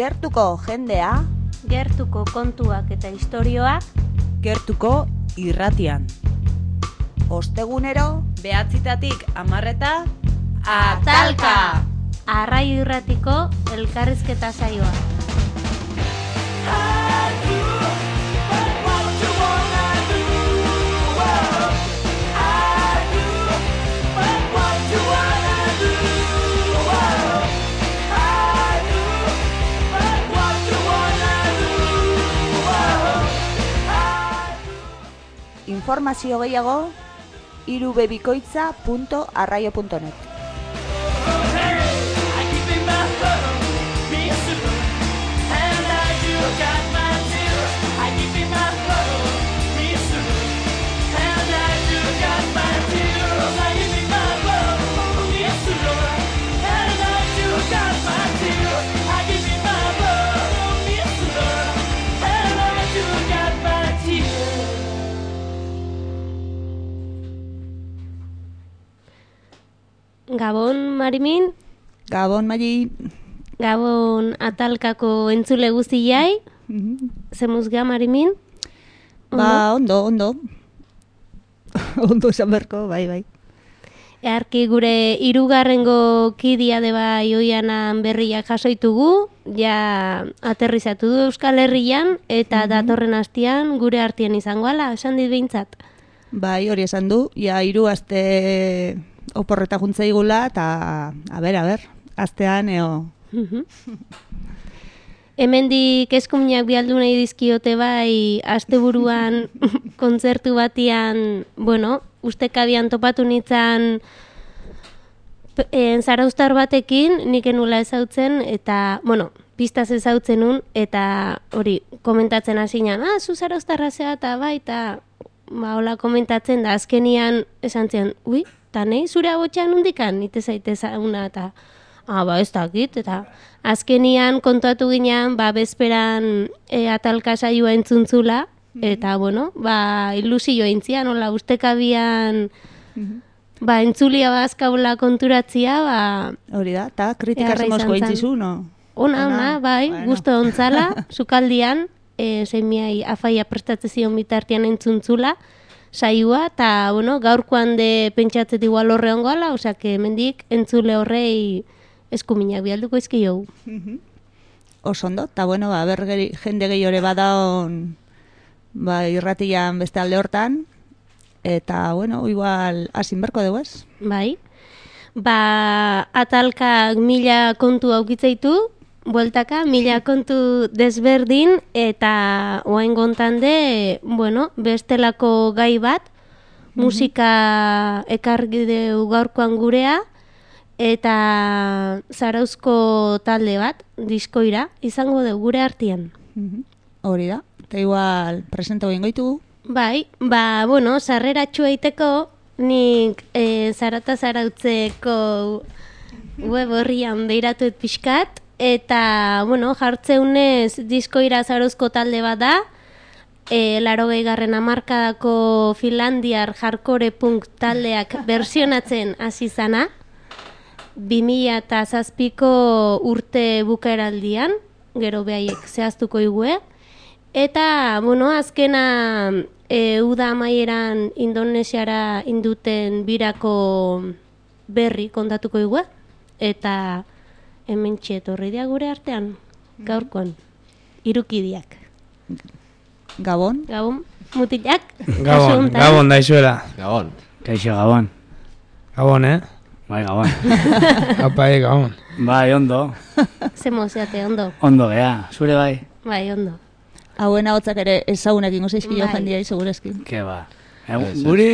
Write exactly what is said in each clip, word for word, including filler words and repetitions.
Gertuko jendea, gertuko kontuak eta istorioak, gertuko irratian. Ostegunero, behatzitatik hamarreta, atalka! Arraio irratiko elkarrizketa saioa. Informazio gehiago irubebikoitza punto arraio punto net. Gabon, Marimin. Gabon, Mari. Gabon, atalkako entzule guztiai. Mm-hmm. Zemuzga, Marimin? Ondo? Ba, ondo, ondo. Ondo esan berko, bai, bai. Earki gure hirugarrengo kidia de bai oianan berriak jasoitugu, ja aterrizatu du Euskal Herrian, eta mm-hmm. datorren hastian gure artean izango ala, esan dit behintzat. Bai, hori esan du, ja hiru aste oporreta juntza igula, eta, a ber, a ber, astean, eo. Hemendik eskuminak bialdu nahi dizkiote bai, asteburuan kontzertu batian, bueno, ustekabian topatu nintzen en zarauztar batekin, nik enula ezautzen, eta, bueno, pistaz ezautzen nun, eta hori, komentatzen hasinan, ah, zu zarauztarra zea, eta bai, eta, ba, hola komentatzen da, azkenian esan zen, ui, eta nahi, zure abotxean hundikan, nite zaite zauna, eta, ah, ba, ez dakit, eta azkenian kontuatu ginean, ba, bezperan e, atalka saioa entzuntzula, eta, bueno, ba, ilusio intzian, hola, ustekabian, ba, entzulia bazkaula konturatzia, ba... Hori da, eta kritika zemozko intzizu, no? Ona, ona, bai, bueno. Gusto ontzala, sukaldian, e, zeimiai afaia prestatze zion bitartian entzuntzula, saioa, eta, bueno, gaurkoan de pentsatzet igual horre ongoala, osea, que mendik entzule horrei eskuminak bialduko izkio. Mm-hmm. Osondo, eta, bueno, ba, ber geri, jende gehiore badaon, ba, irratian beste alde hortan, eta, bueno, igual asin berko dugu ez? Bai, ba, atalkak mila kontu aukitzeitu, bueltaka, mila kontu desberdin, eta oain gontan de, bueno, bestelako gai bat, mm-hmm. musika ekargi deu gaurkoan gurea, eta zarauzko talde bat, diskoira, izango deu gure artean. Mm-hmm. Hori da, eta igual presenta goien goitugu. Bai, ba, bueno, sarreratxua iteko, nik e, zarata zarautzeko web horrian behiratuet pixkat, eta, bueno, jartzeunez diskoira zarauzko talde bat da, e, larogei garren hamarkadako Finlandiar hardcore punk taldeak versionatzen hasi zana, bi mila zazpiko urte bukaeraldian, gero behaiek zehaztuko igue, eta, bueno, azkena e, uda amaieran Indonesiara induten birako berri kontatuko igue, eta hemen txetorri dia gure artean, gaurkoan, irukidiak. Gabon? Gabon, mutilak? Gabon, Gabon daizuela. Gabon. Kaixo, Gabon. Gabon, eh? Bai, Gabon. Apai, Gabon. Bai, ondo. Zemozeate, ondo. Ondo, gea, zure bai. Bai, ondo. Hauen ahotzak ere ezagunak ingo zeizkio bai. Jendiai, segurazkin. Ke ba. E, guri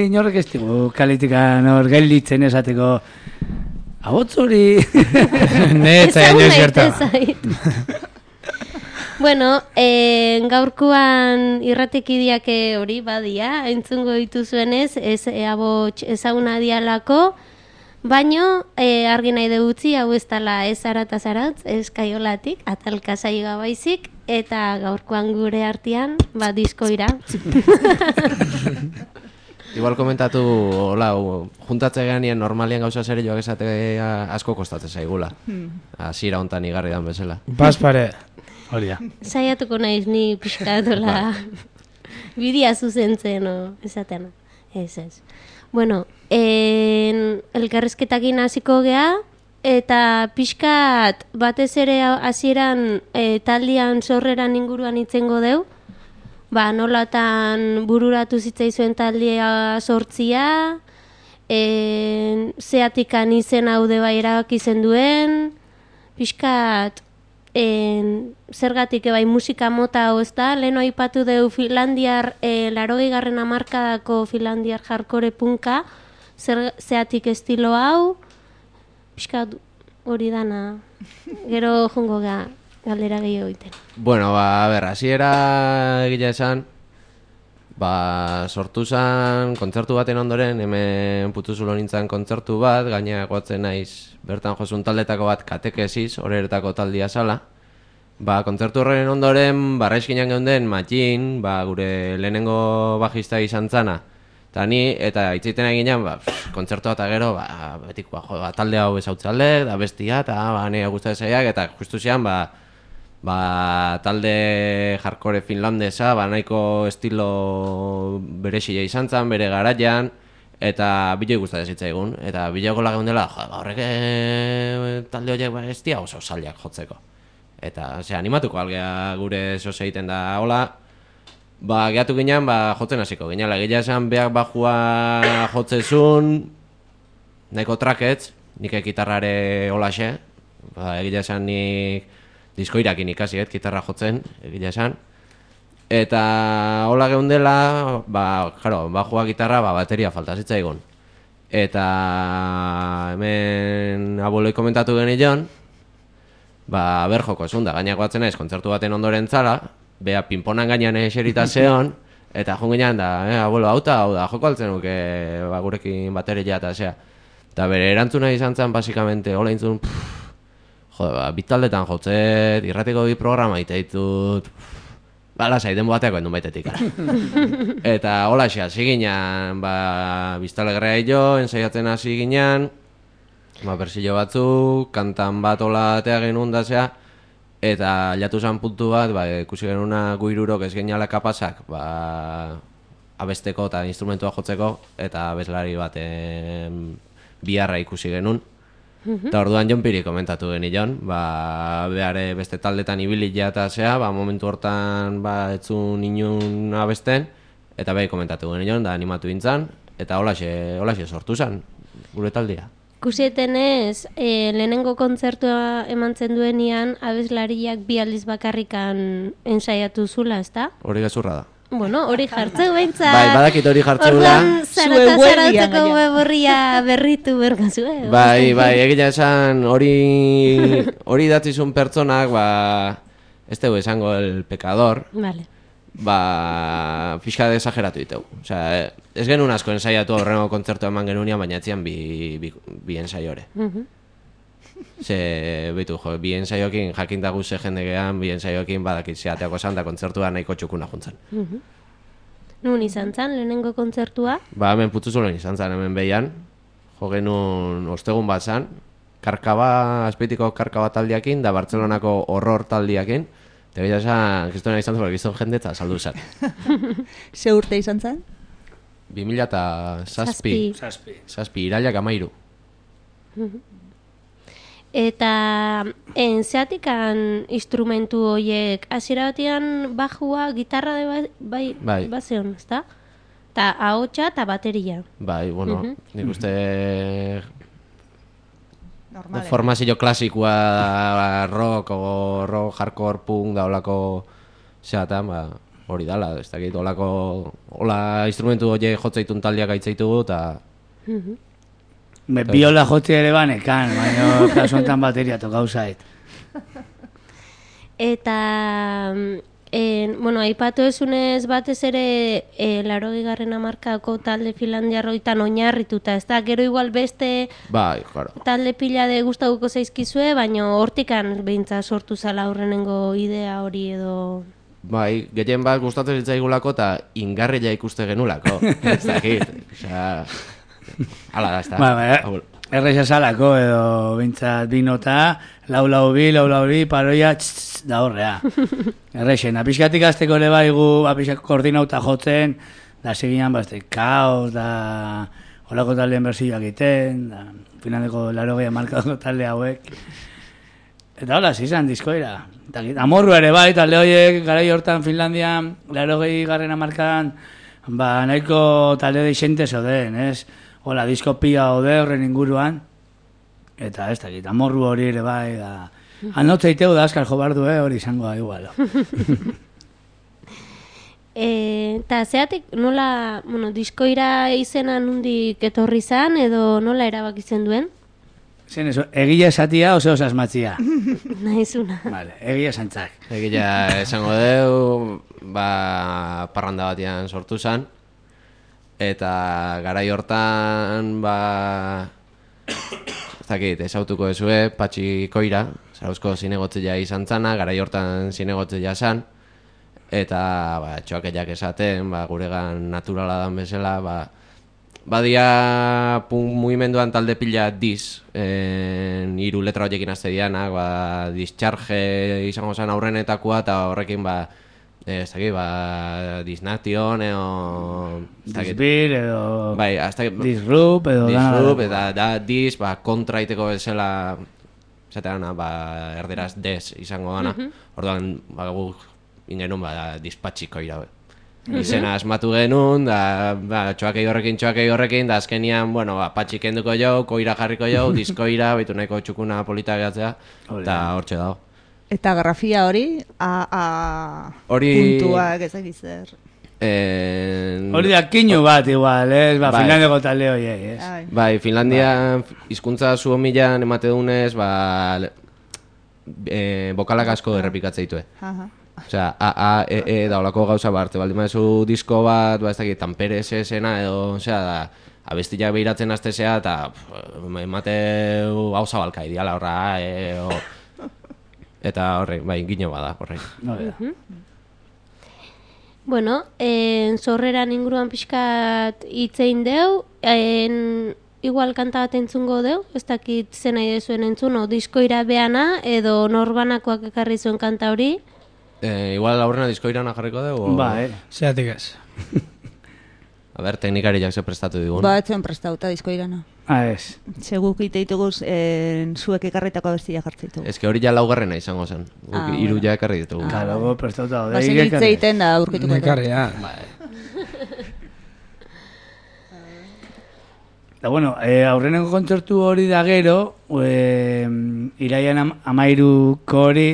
inorrek ez dugu kalitikan hor gailitzen esateko abotzuri. Netza ino zerta. Bueno, eh, gaurkoan irratikidiak hori badia, entzungo dituzuenez, ez e, abots ezaguna dialako, baino e, argi nahi degutzi, hau ez tala ez zarata zarautz, ez kaiolatik, atalka saioa baizik, eta gaurkoan gure artean, ba, diskoira. igual komentatu, hola, juntatze ganean normalian gauza serioak esatea asko kostatzen zaigula. Hasiera hontan igarri dan bezala. Paspare, hori da. Saiatuko naiz ni pixkatola bidia zuzentzen, o, esaten. Ez, ez. Bueno, en, elkarrezketakin hasiko gea, eta pixkat batez ere hasieran e, taldean sorreran inguruan itzengo deu, ba, nolatan bururatu zitzaizuen taldea sortzia, e, zeatikan izen haude bai erabaki zen duen, pixkat en, zergatik ebai musika mota hau ez da, leheno aipatu deu Finlandiar, e, larogei garren hamarkadako Finlandiar hardcore punka, zer, zeatik estilo hau, pixkat hori dana, gero jongo ga galdera gehiago egiten. Bueno, ba, a ber, hasiera egia esan, ba, sortu zan kontzertu baten ondoren, hemen Putuzulo nintzen kontzertu bat, gaina goatzen naiz, bertan josun taldetako bat katekesiz, horeretako taldia zala. Ba, kontzertu horren ondoren, barraizkinan geunden, Matxin, ba, gure lehenengo bajista izan zana, eta ni, eta itzaiten eginean, ba, kontzertu eta gero, ba, betik, ba, jo, ba, talde hau ezautzalde, da bestia, eta ba, nire gustatzen zaiak, eta justu zian, ba, ba, talde hardcore finlandesa, ba, nahiko estilo berexia izan zen, bere garaian, eta biloi gustatzen zitzaigun, eta biloiko lagun dela, jo, ba, horrek e, talde horiek ba, estia oso zailak jotzeko. Eta, ze, animatuko algea gure sos egiten da, hola, ba, gehatu ginean, ba, jotzen hasiko ginean, egia esan beak bajua jotzezun, nahiko traketz, nik gitarrare holaxe, ba, egia esan nik diskoirakin ikasi, et, gitarra jotzen, egia esan, eta hola geundela, ba, jaro, bajua gitarra, ba, bateria falta zitzaigun. Eta hemen aboloi komentatu genion, ba, ber joko esun da, gainak batzen naiz, kontzertu baten ondoren zala, beha pinponan gainean eserita zeon, eta joan ginean da, eh, abuelo, hauta, hau da, joko altzen nuke, ba, gurekin bateria eta zea. Eta bere erantzuna izan zen, basikamente, hola intzun, jode, ba, bitaldetan jotzet, irratiko bi programa ite ditut, ba, lasai, den bateako endun baitetik. Eta hola xe, hasi ginean, ba, biztale gerrea jo, ensaiatzen hasi ginean, ba, bersillo batzuk, kantan bat hola atea genuen da zea, eta jatu zan puntu bat, ba, ikusi genuna guirurok ez geniala kapazak, ba, abesteko eta instrumentua jotzeko, eta abeslari baten biharra ikusi genuen. Eta orduan Jonpiri komentatu genion, ba, behare beste taldetan ibili eta zea, ba, momentu hortan ba, etzun inun abesten, eta behi komentatu genion, da animatu gintzan, eta holaxe, holaxe sortu zen, gure taldea. Ikusieten ez, e, lehenengo kontzertua eman zen duenian, abeslariak bi aldiz bakarrikan ensaiatu zula, ezta? Hori gezurra da. Bueno, hori jartzeu behintzat. Bai, badakit hori jartzeu da. Orduan, zarata zarautzeko weborria berritu bergazu, eh? Bai, bai, egina esan hori hori datzizun pertsonak, ba, ez dugu esango el pecador, vale. Ba, pixka desageratu ditu. Osea, ez genuen asko ensaiatu horrengo kontzertu eman genunean, baina etzian bi, bi, bi ensaiore. Uh -huh. Ze, behitu, jo, bi ensaiokin jakintagu ze jende gehan, bi ensaiokin badakit zeateako esan da kontzertua nahiko txukuna juntzen. Uh -huh. Nun izan zan, lehenengo kontzertua? Ba, hemen Putuzuloen izan zan, hemen behian. Jo genuen ostegun bat zan, Karkaba, azpeitiko Karkaba taldiakin, da Bartzelonako horror taldiakin. Eta gira esan, kristona izan zuen, gizton jende eta saldu zen. Ze urte izan zen? bi mila eta zazpi. Zazpi. Zazpi, irailak amairu. Eta en zeatikan instrumentu horiek, hasiera batean bajua, gitarra de ba, bai, bai. bazeon, ezta? Eta ahotsa eta bateria. Bai, bueno, uh-huh. nik uste Normale. Formazio klasikoa rock o rock hardcore punk da olako zeatan, ba, hori dala, ez dakit, olako hola instrumentu horiek jotzeitun taldiak aitzeitugu, eta Uh-huh. Me biola jotzea ere banekan, baina kasu honetan bateria tokau zait. Eta, en, bueno, aipatu esunez batez ere e, larogei garren hamarkadako talde finlandiarroitan oinarrituta, ez da, gero igual beste bai, claro. Talde pila de gustaguko zaizkizue, baina hortikan behintza sortu zala aurrenengo idea hori edo bai, gehien bat gustatzen zitzaigulako eta ingarria ikuste genulako. Ez dakit, osea... Hala da, ez da. Ba, ba, erreza salako edo bintzat binota, lau lau bi, lau lau bi, paroia, tss, da horrea. Errexen, apixkatik azteko ere bai gu, apixak koordinauta jotzen, da seginan bazte, kaos, da... Olako taldeen berzioak egiten, da, finaleko laro gehiago markadoko talde hauek. Eta hola, zizan, diskoira. Amorru ere bai, talde horiek, garai hortan Finlandian, laro gehi garrena markadan, ba, nahiko talde deixente zoden, ez? Hola, disko pia ode horren inguruan. Eta ez dakit, amorru hori ere bai, da... Anotzeiteu da, askar jo bardu, eh, hori izango da igual. Eta zeatik nola, bueno, diskoira izena nundik etorri zan edo nola erabaki zen duen? Zen eso, egia esatia oso asmatzia. Naizuna. Vale, egia esantzak. Egia esango deu, ba, parranda batian sortu zan, eta garai hortan, ba, ez dakit, ezautuko ezue, Patxi Koira, Zarauzko zinegotzea izan zana, garai hortan zinegotzea zan, eta ba, txoakeiak esaten, ba, guregan naturala dan bezala, ba, badia punk mugimenduan talde pila diz, en, hiru letra horiekin azte dianak, ba, discharge izango zen aurrenetakoa, eta horrekin, ba, ez dakit, ba, disnation, edo... Disbir, edo... Bai, hasta Disrup, edo... Disrup, eta da, diz, ba, kontraiteko bezala, zatean, ba, erderaz des izango dana. Orduan, ba, guk, ingenun, ba, dispatxiko irabe. Izena asmatu genuen, da, ba, txoakei horrekin, txoakei horrekin, da azkenian, bueno, ba, patxik enduko jau, koira jarriko jau, diskoira, baitu nahiko txukuna polita gehatzea, eta hortxe dago. Eta grafia hori, a, a hori... puntuak ez zer. En... Hori da kinu bat igual, ez? Ba, bai. Finlandiako talde horiek, ez? Ai. Bai, Finlandia hizkuntza zu milan emate dunez, ba, e, bokalak asko errepikatzea ditue. Aha. Osea, A, A, E, E, da olako gauza barte, baldin badezu disko bat, ba ez dakit, tampere esena edo, osea, da, abestiak behiratzen aztezea, eta emateu hau zabalka ideala horra, e, o, eta horre, bai, gino bada, horre. No, ja. Bueno, en sorreran inguruan pixkat hitzein deu, en, igual kanta bat entzungo deu, ez dakit zen nahi dezuen entzuno, diskoira beana edo norbanakoak ekarri zuen kanta hori. Eh, igual aurrena diskoirana jarriko dugu? Ba, eh? Zeatik ez. A ber, teknikariak ze prestatu digun. Ba, etzen prestauta disko irana. Ah, ez. Seguk iteituguz, en, zuek ekarritako bestia jartzeitu. Ez que hori ja laugarrena izango zen. Guk Ah, hiru bueno. ja ekarri ditugu. Claro, go prestauta Ba, hode. segitze iten da aurkituko. Nekarri, ja. Da, bueno, eh, aurreneko kontzertu hori da gero, eh, iraian am, amairuko hori,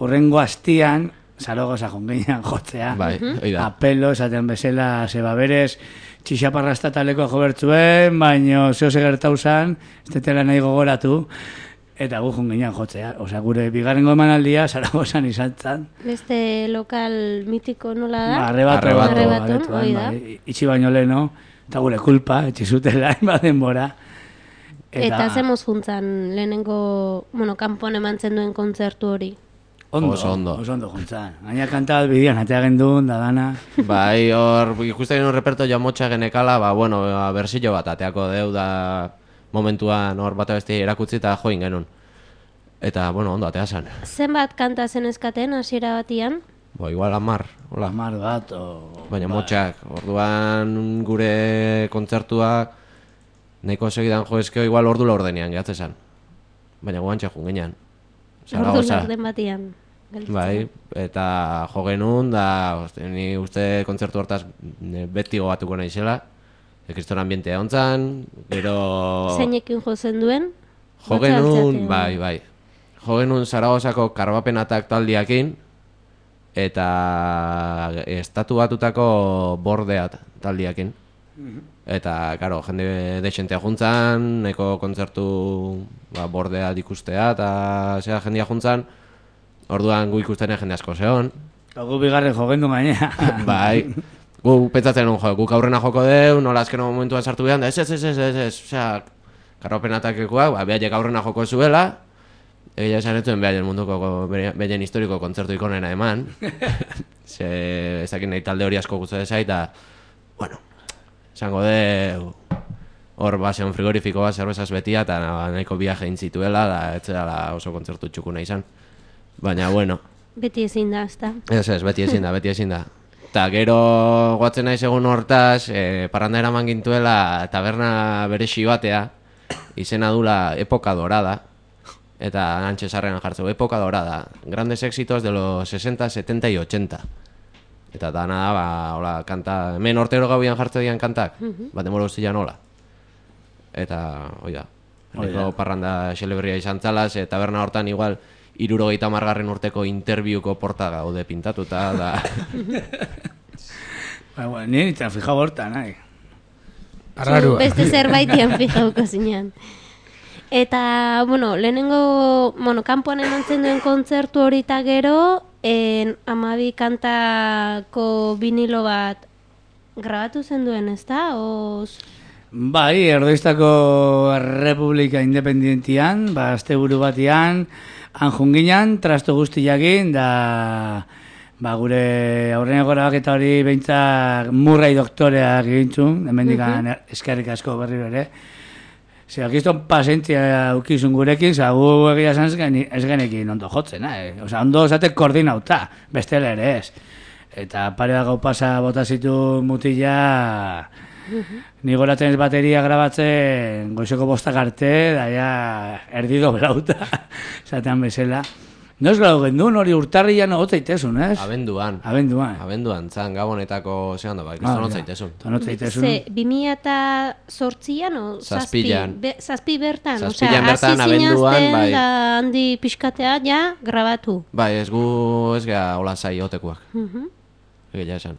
urrengo astian, Zaragoza jongenean jotzea. Bai, hori da. Apelo, esaten bezala, zeba berez, txixaparrasta taleko jobertzuen, baino zeo gertau zan, ez tetela nahi gogoratu, eta gu jongenean jotzea. Osea, gure bigarrengo emanaldia Zaragozan izan zan. Beste lokal mitiko nola da? Ba, arrebato, Arrebato. Arrebaton, aretoan, hori da. bai, itxi baino leno, eta gure kulpa, etxi zutela, enba denbora. Eta, zemoz juntzan lehenengo, bueno, kanpon eman zen duen kontzertu hori. Ondo, Oso ondo. Oso ondo juntzan. Gaina kanta bat bidean, atea gendun, da dana. Bai, hor, ikusten genuen reperto jamotxa genekala, ba, bueno, ba, bersillo bat ateako deu da momentuan hor bata besti erakutzi eta join genuen. Eta, bueno, ondo atea zen. Zenbat kanta zen eskaten hasiera batian? Bo, igual amar, hola. Amar bat, o... Baina ba, motxak, orduan gure kontzertuak nahiko segidan jo ezkeo igual ordu laurdenean gehatze zen. Baina guantxe jungenean. Ordu Zaragoza. laurden batian. gelditzen. Bai, eta jo genuen, da, oste, ni uste kontzertu hortaz ne, beti gogatuko naizela. Ekriston ambientea hontzan, gero... Zeinekin jo zen duen? Jo Batza genuen, altzatzen. bai, bai. Jo genuen Zaragozako karbapenatak taldiakin, eta estatu batutako bordeat taldiakin. Eta, karo, jende dexentea juntzan, neko kontzertu ba, bordeat ikustea, eta zera jendia juntzan, orduan gu ikustenen jende asko zehon. Eta gu bigarren jogendu gainea. Bai, gu pentsatzen nun jo, guk aurrena joko deu, nola azkeno momentuan sartu behan, da ez, ez, ez, ez, ez, ez, osea, karropenatakekoak, ba, behaiek aurrena joko zuela, egia esan etuen behaien munduko, behaien historiko kontzertu ikonena eman, Ze, ez dakit nahi talde hori asko guztu dezai, eta, bueno, esango de, hor basean frigorifiko bat zerbezaz betia, eta nahiko viaje intzituela, da ez zela oso kontzertu txukuna izan. Baina, bueno. Beti ezin da, ezta? Ez ez, beti ezin da, beti ezin da. Eta gero guatzen naiz egun hortaz, e, parranda eraman gintuela taberna berexi batea, izena dula Época Dorada, eta antxe sarrean jartzeu, Época Dorada, grandes éxitos de los sesenta, setenta y ochenta. Eta dana da, ba, hola, kanta, hemen ortero gauian jartze dian kantak, bat demoro guztian hola. Eta, oi da, niko parranda xeleberria izan zalaz, e, taberna hortan igual, hirurogeita hamargarren urteko interbiuko porta gaude pintatuta, da... Ba, bueno, ni nintzen fijau hortan, nahi. Zu beste zerbaitian fijauko zinean. Eta, bueno, lehenengo, bueno, kanpoan emantzen duen kontzertu hori eta gero, en amabi kantako vinilo bat grabatu zen duen, ez da? Oz... Bai, Erdoiztako Republika Independientian, ba, asteburu batian, anjunginan, trasto guztiakin, da, ba, gure aurreneko grabaketa hori behintzak Murray doktoreak egintzun, hemendikan uh -huh. eskerrik asko berriro ere. Zer, akizton pasentzia aukizun gurekin, zagu egia esan ez genekin ondo jotzen, eh? Osa, ondo esate koordinauta, bestela ere ez. Eta pare bat gau pasa bota zitu mutila... Ni goratzen ez bateria grabatzen goizeko bostak arte, daia erdido belauta, zatean bezala. Noz grau gendun hori urtarrian otzaitezun, ez? Abenduan. Abenduan. Abenduan, zan gabonetako zean da, bai, kriston otzaitezun. Otzaitezun. Ze, bi mila eta zortzian, o? Zazpilan. Be, zazpi bertan, Zazpilan bertan, abenduan, bai. Da handi pixkatea, ja, grabatu. Bai, ez gu, ez gea, hola zai otekuak. Uh -huh. Egia esan.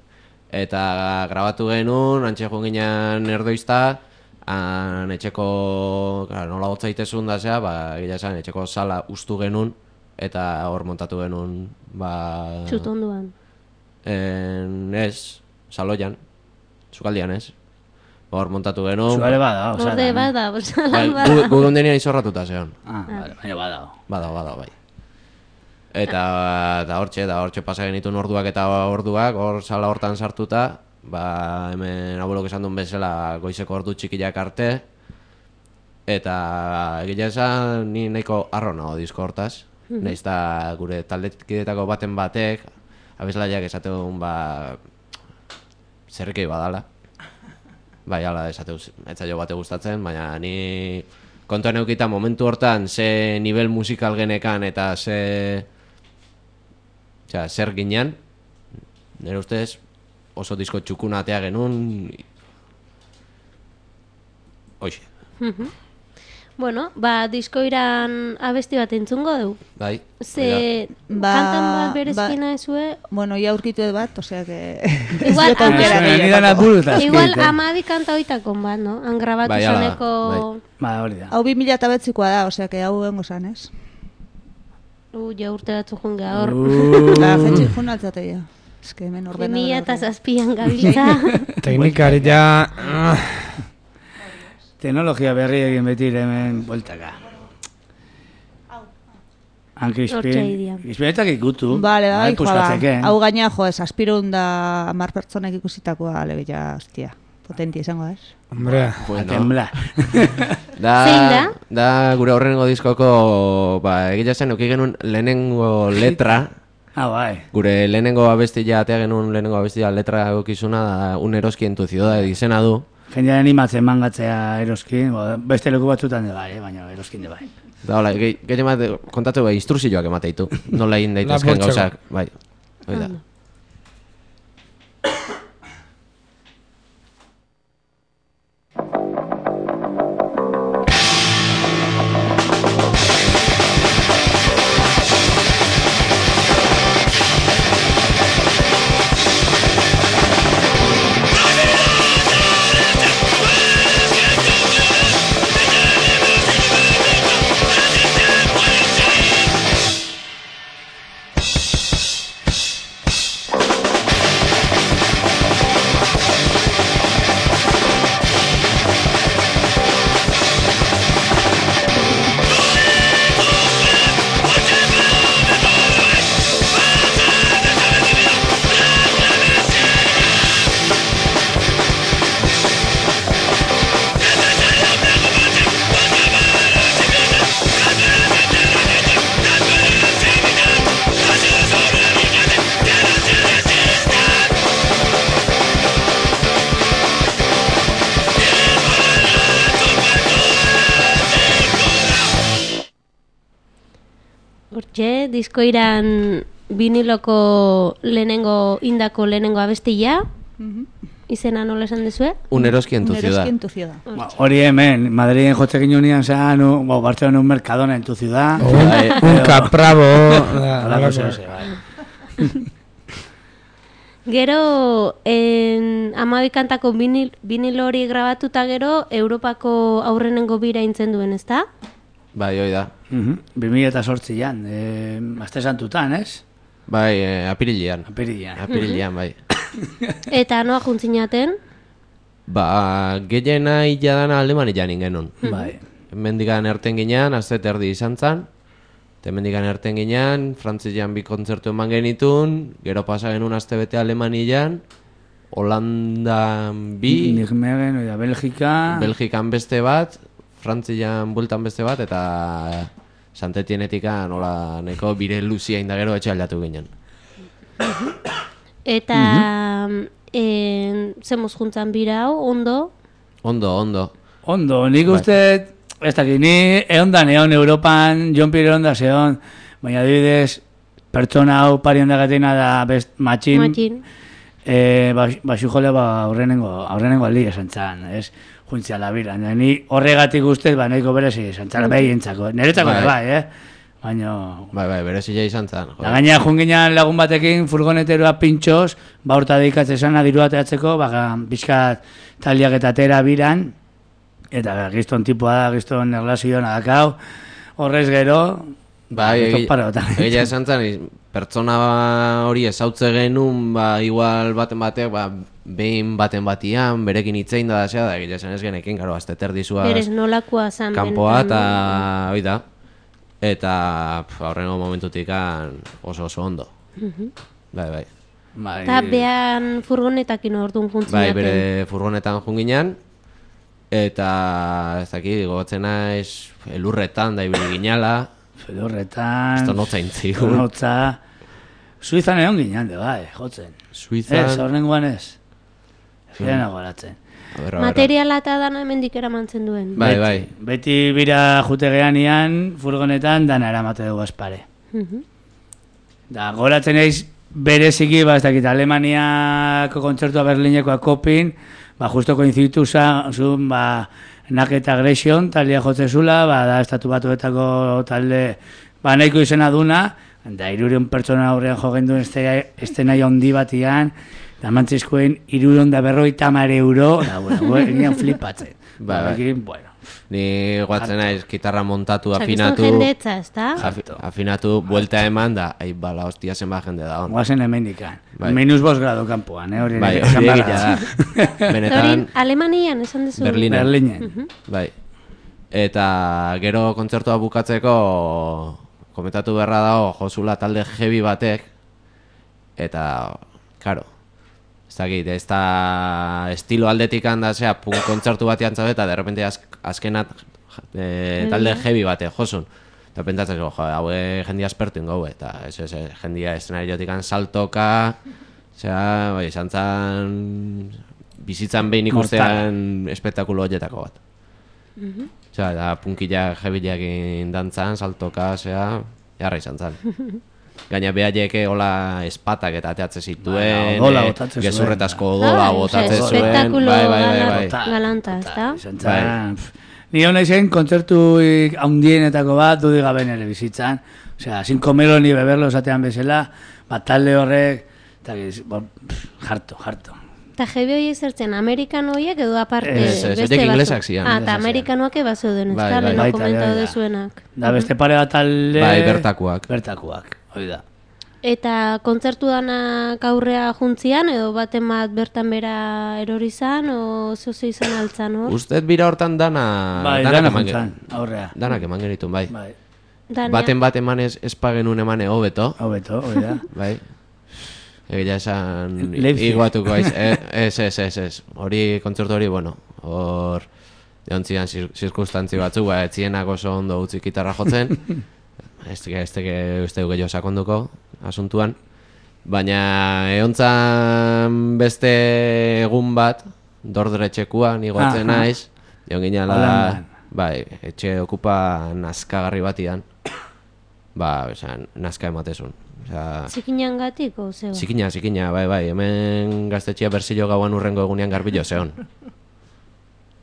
Eta grabatu genuen, antxe joan ginen Erdoizta, han etxeko, nola otzaitezun da zea, ba, egia esan, etxeko sala ustu genuen, eta hor montatu genuen, ba... Txutonduan. En, ez, saloian, sukaldian ez. Hor montatu genuen... Zugale bada, oza. Orde bada, oza. Gu, gu gondenian izorratuta zeon. Ah, bale, baina bada. Bada, bada, bai. Eta, eta hortxe, da hortxe pasa genituen orduak eta orduak, hor sala hortan sartuta, ba, hemen abuelok esan duen bezala goizeko ordu txikiak arte, eta egila esan ni nahiko arro nago disko hortaz, mm -hmm. nahiz da gure taldekidetako baten batek, abeslaiak esateun, ba, zerrekei badala. Bai, ala, esateu, etzaio bate gustatzen, baina ni kontuan eukita momentu hortan ze nivel musikal genekan eta ze... Osea, zer ginean, nire ustez oso disko txukuna atea genuen, hoxe. Bueno, ba, diskoiran abesti bat entzungo du. Bai. Ze, ba, kantan bat berezkina ezue. Bueno, ya aurkitu edo bat, osea que... Igual, ama, igual amabi kanta hoitakon bat, no? Han grabatu bai, zoneko... Ba, hori da. Hau bi mila eta betzikoa da, osea que hau bengo zan, ez? Uh, ja urte batzu junga hor. Da, jetxik jun altzate ja. Ez que hemen ordenador... Bi mila eta zazpian gabiltza. Teknikari ja... Teknologia berri egin betir hemen bueltaka. Hankispin, Hankispinetak ikutu. Bale, bai, joa, hau gaina, jo, ez, aspirun da amar pertsonek ikusitakoa, alegia, hostia, potentia izango, ez? Hombre, bueno. Atembla. Da, zein da? Da, gure horrengo diskoko, ba, egia zen, euki genuen lehenengo letra, Ah, bai. gure lehenengo abestia, atea genuen lehenengo abestia letra eukizuna, da, un eroski en tu ciudad izena du. Jendean animatzen mangatzea eroskin, beste leku batzutan de bai, baina eroskin de bai. Da, hola, gehi emate, kontatu bai, instruzioak emateitu. Nola egin daitezken gauzak, bai. Hoi da. diskoiran viniloko lehenengo indako lehenengo abestia. Izena nola esan dezue? Un eroski en tu Un ciudad. eroski en tu ciudad. Ba, hori hemen, Madriden jotzekin unian zan, bo, Barcelona un Mercadona en tu ciudad. Un, un capravo. da- Halako halako- zehose, bai. Gero, en, amabi kantako vinil, vinil hori grabatuta gero, Europako aurrenengo bira intzen duen, ezta? Bai, hoi da. Mhm. bi mila eta zortzian, eh, aste santutan, ez? Bai, eh, apirilean. Apirilean. Apirilean, bai. Eta noa juntzinaten? Ba, gehiena illa dana Alemanian ingenon. Bai. Mendigan erten ginean, azte terdi izan zan. Eta mendigan erten ginean, Frantzian bi kontzertu eman genitun, gero pasa genuen azte bete Alemanian, Holandan bi, Nijmegen, oida, Belgika. Belgikan beste bat, Frantzian bueltan beste bat, eta Santetienetika nola neko bire luzia indagero etxe aldatu ginen. Eta en, zemuz juntzan bira hau, ondo? Ondo, ondo. Ondo, nik uste, ez dakit, ni eondan eon Europan, Jon Pierre onda zeon, baina adibidez, pertsona hau pari ondagatina da best matxin, Matxin. e, basu jole ba aurrenengo, aurrenengo aldi esan txan, ez? Juntzia labira, ni horregatik ustez, ba, nahiko berezi esan txan, behi entzako, niretzako Bai. bai, bai, eh? Baina... Bai, bai, berezia izan zan. Da gaina junginan lagun batekin furgoneteroa pintxoz, ba horta dedikatzen zana diru ateatzeko, ba bizkat taliak eta tera biran, eta gizton tipua da, gizton erlazioa dakau, horrez gero, Bai, gizton egi- pare bat. egia esan zan, iz- pertsona hori ezautze genuen, ba, igual baten batek, ba, behin baten batian, berekin hitzein da dasea, da egia esan ez genekin, garo, azte terdizua Berez nolakoa zan kanpoa, benetan. eta hoi da. Eta pf, aurrengo momentutik oso oso ondo. Bai, bai. Bai, Eta behan furgonetakin orduan Bai, juntzinaten. bere furgonetan junginan, eta ez dakit, gogotzen naiz, elurretan da ibili ginala, Fedorretan... esto notza intzigun. Notza... Suizan egon ginen, de bai, jotzen. Suizan... Ez, horrengoan ez. Ez giren agoratzen. A ber, a ber. Materiala eta dana hemendik eramantzen duen. Bai, bai. Beti bira jute geanian, furgonetan, dana eramate dugu espare. Mhm. Da, goratzen eiz bereziki, ba, ez dakit, Alemaniako kontzertua Berlineko akopin, ba, justo koinzitu zuen, ba, Naketa Aggression, taldea jotze zula, ba, da, estatu batuetako talde, ba, nahiko izena duna, da, irureun pertsona aurrean jogen duen estenai handi batian, da, mantzizkoen, irureun da berroita mare euro, da, bueno, egian flipatzen. Bai, bai. Horrekin, bueno, Ni guatzen naiz, gitarra montatu, Osa, afinatu, gizton jendetza, ez da? afi- afinatu, buelta eman da, ai, bala, hostia, zenba jende da hon. guazen hemendikan. Bai. Minus bost grado kanpoan, eh, hori Bai, esan hori beharra egitea da. Hori, Benetan, Alemanian, esan dezu? Berlinen. Berlinen. Bai. Eta gero kontzertua bukatzeko komentatu beharra dago Josula talde heavy batek, eta, karo, ez dakit, ez da estilo aldetik handa, zera, punk kontzertu batean zabe, eta derrepente az, azkenat e, talde heavy batek, josun. Eta pentsatzen, jo, haue jendia aspertu ingo, eta ez, ez, ez, jendia eszenariotik saltoka, zera, bai, izan zan, bizitzan behin ikustean espektakulo horietako bat. Osea, da punkilla jebileakin dantzan, saltoka, osea, jarra izan zan. Gaina behaieke hola espatak eta ateatze zituen, Bai, odola eh, botatzen zuen. gezurretazko odola Ah, botatzen osea, zuen. espektakulo Bai, bai, bai, gala- bai. Total, galanta, ez total, da? izan zan, pff. Ni hona izen kontzertu handienetako bat dudik gaben ere bizitzan. Osea, sin comerlo ni beberlo esatean bezala, bat talde horrek, eta giz, bo, pff, jarto, jarto. Eta jebi horiek zertzen, Amerikan horiek edo aparte Ez, ez, beste horiek batzuk? inglesak zian. Ah, eta Inglesak Amerikanoak eba zeuden, ez Bai, da, bai. leheno Baita, komentatu bai, bai. dezuenak. Da beste pare bat talde... Bai, bertakoak. Bertakoak, hori da. Eta kontzertu danak aurrea juntzian, edo baten bat bertan bera erori zan, o zoze izan altzan hor? Usted bira hortan dana... Bai, danak dana eman juntzan, gen- aurrea. Danak eman genitun, bai. Bai, Dania. Baten bat emanez espagenun emane hobeto, hau beto, hori da. bai. Egia esan Leipzig. iguatuko aiz. Eh, Ez, ez, ez, ez. Hori, kontzertu hori, bueno, hor... Jontzian zirkustantzi batzuk, ba, etzienak oso ondo utzik gitarra jotzen. Ez teke, ez teke, uste du gehiago sakonduko, asuntuan. Baina, eontzan beste egun bat, dordre etxekuan, igotzen Aha. naiz. Joan ginala, Holandan. bai, etxe okupa nazkagarri batian. ba, esan, nazka ematezun. Osea, Zikinan gatik, o zeba? zikina, zikina, bai, bai, hemen gaztetxea berzilo gauan urrengo egunean garbilo zeon.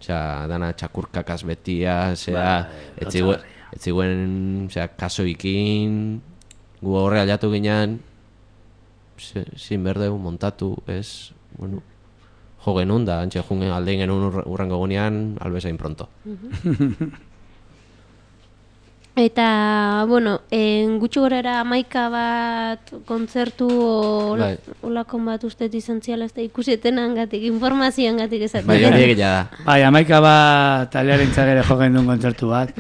Osea, dana txakurkakaz betia, zera, etziguen, zera, kasoikin, gu horre aliatu ginean, zin berdeu, montatu, ez, bueno, jo genuen da, antxe jungen aldein genuen urrengo egunean, albezain pronto. Eta, bueno, en gutxi gorera amaika bat kontzertu Bai. olakon bat ustet izan ziala, ez da ikusietenan gatik, informazioan gatik ezaten. Bai, hori egila da. Bai, amaika bat talearen txagere jogen duen kontzertu bat.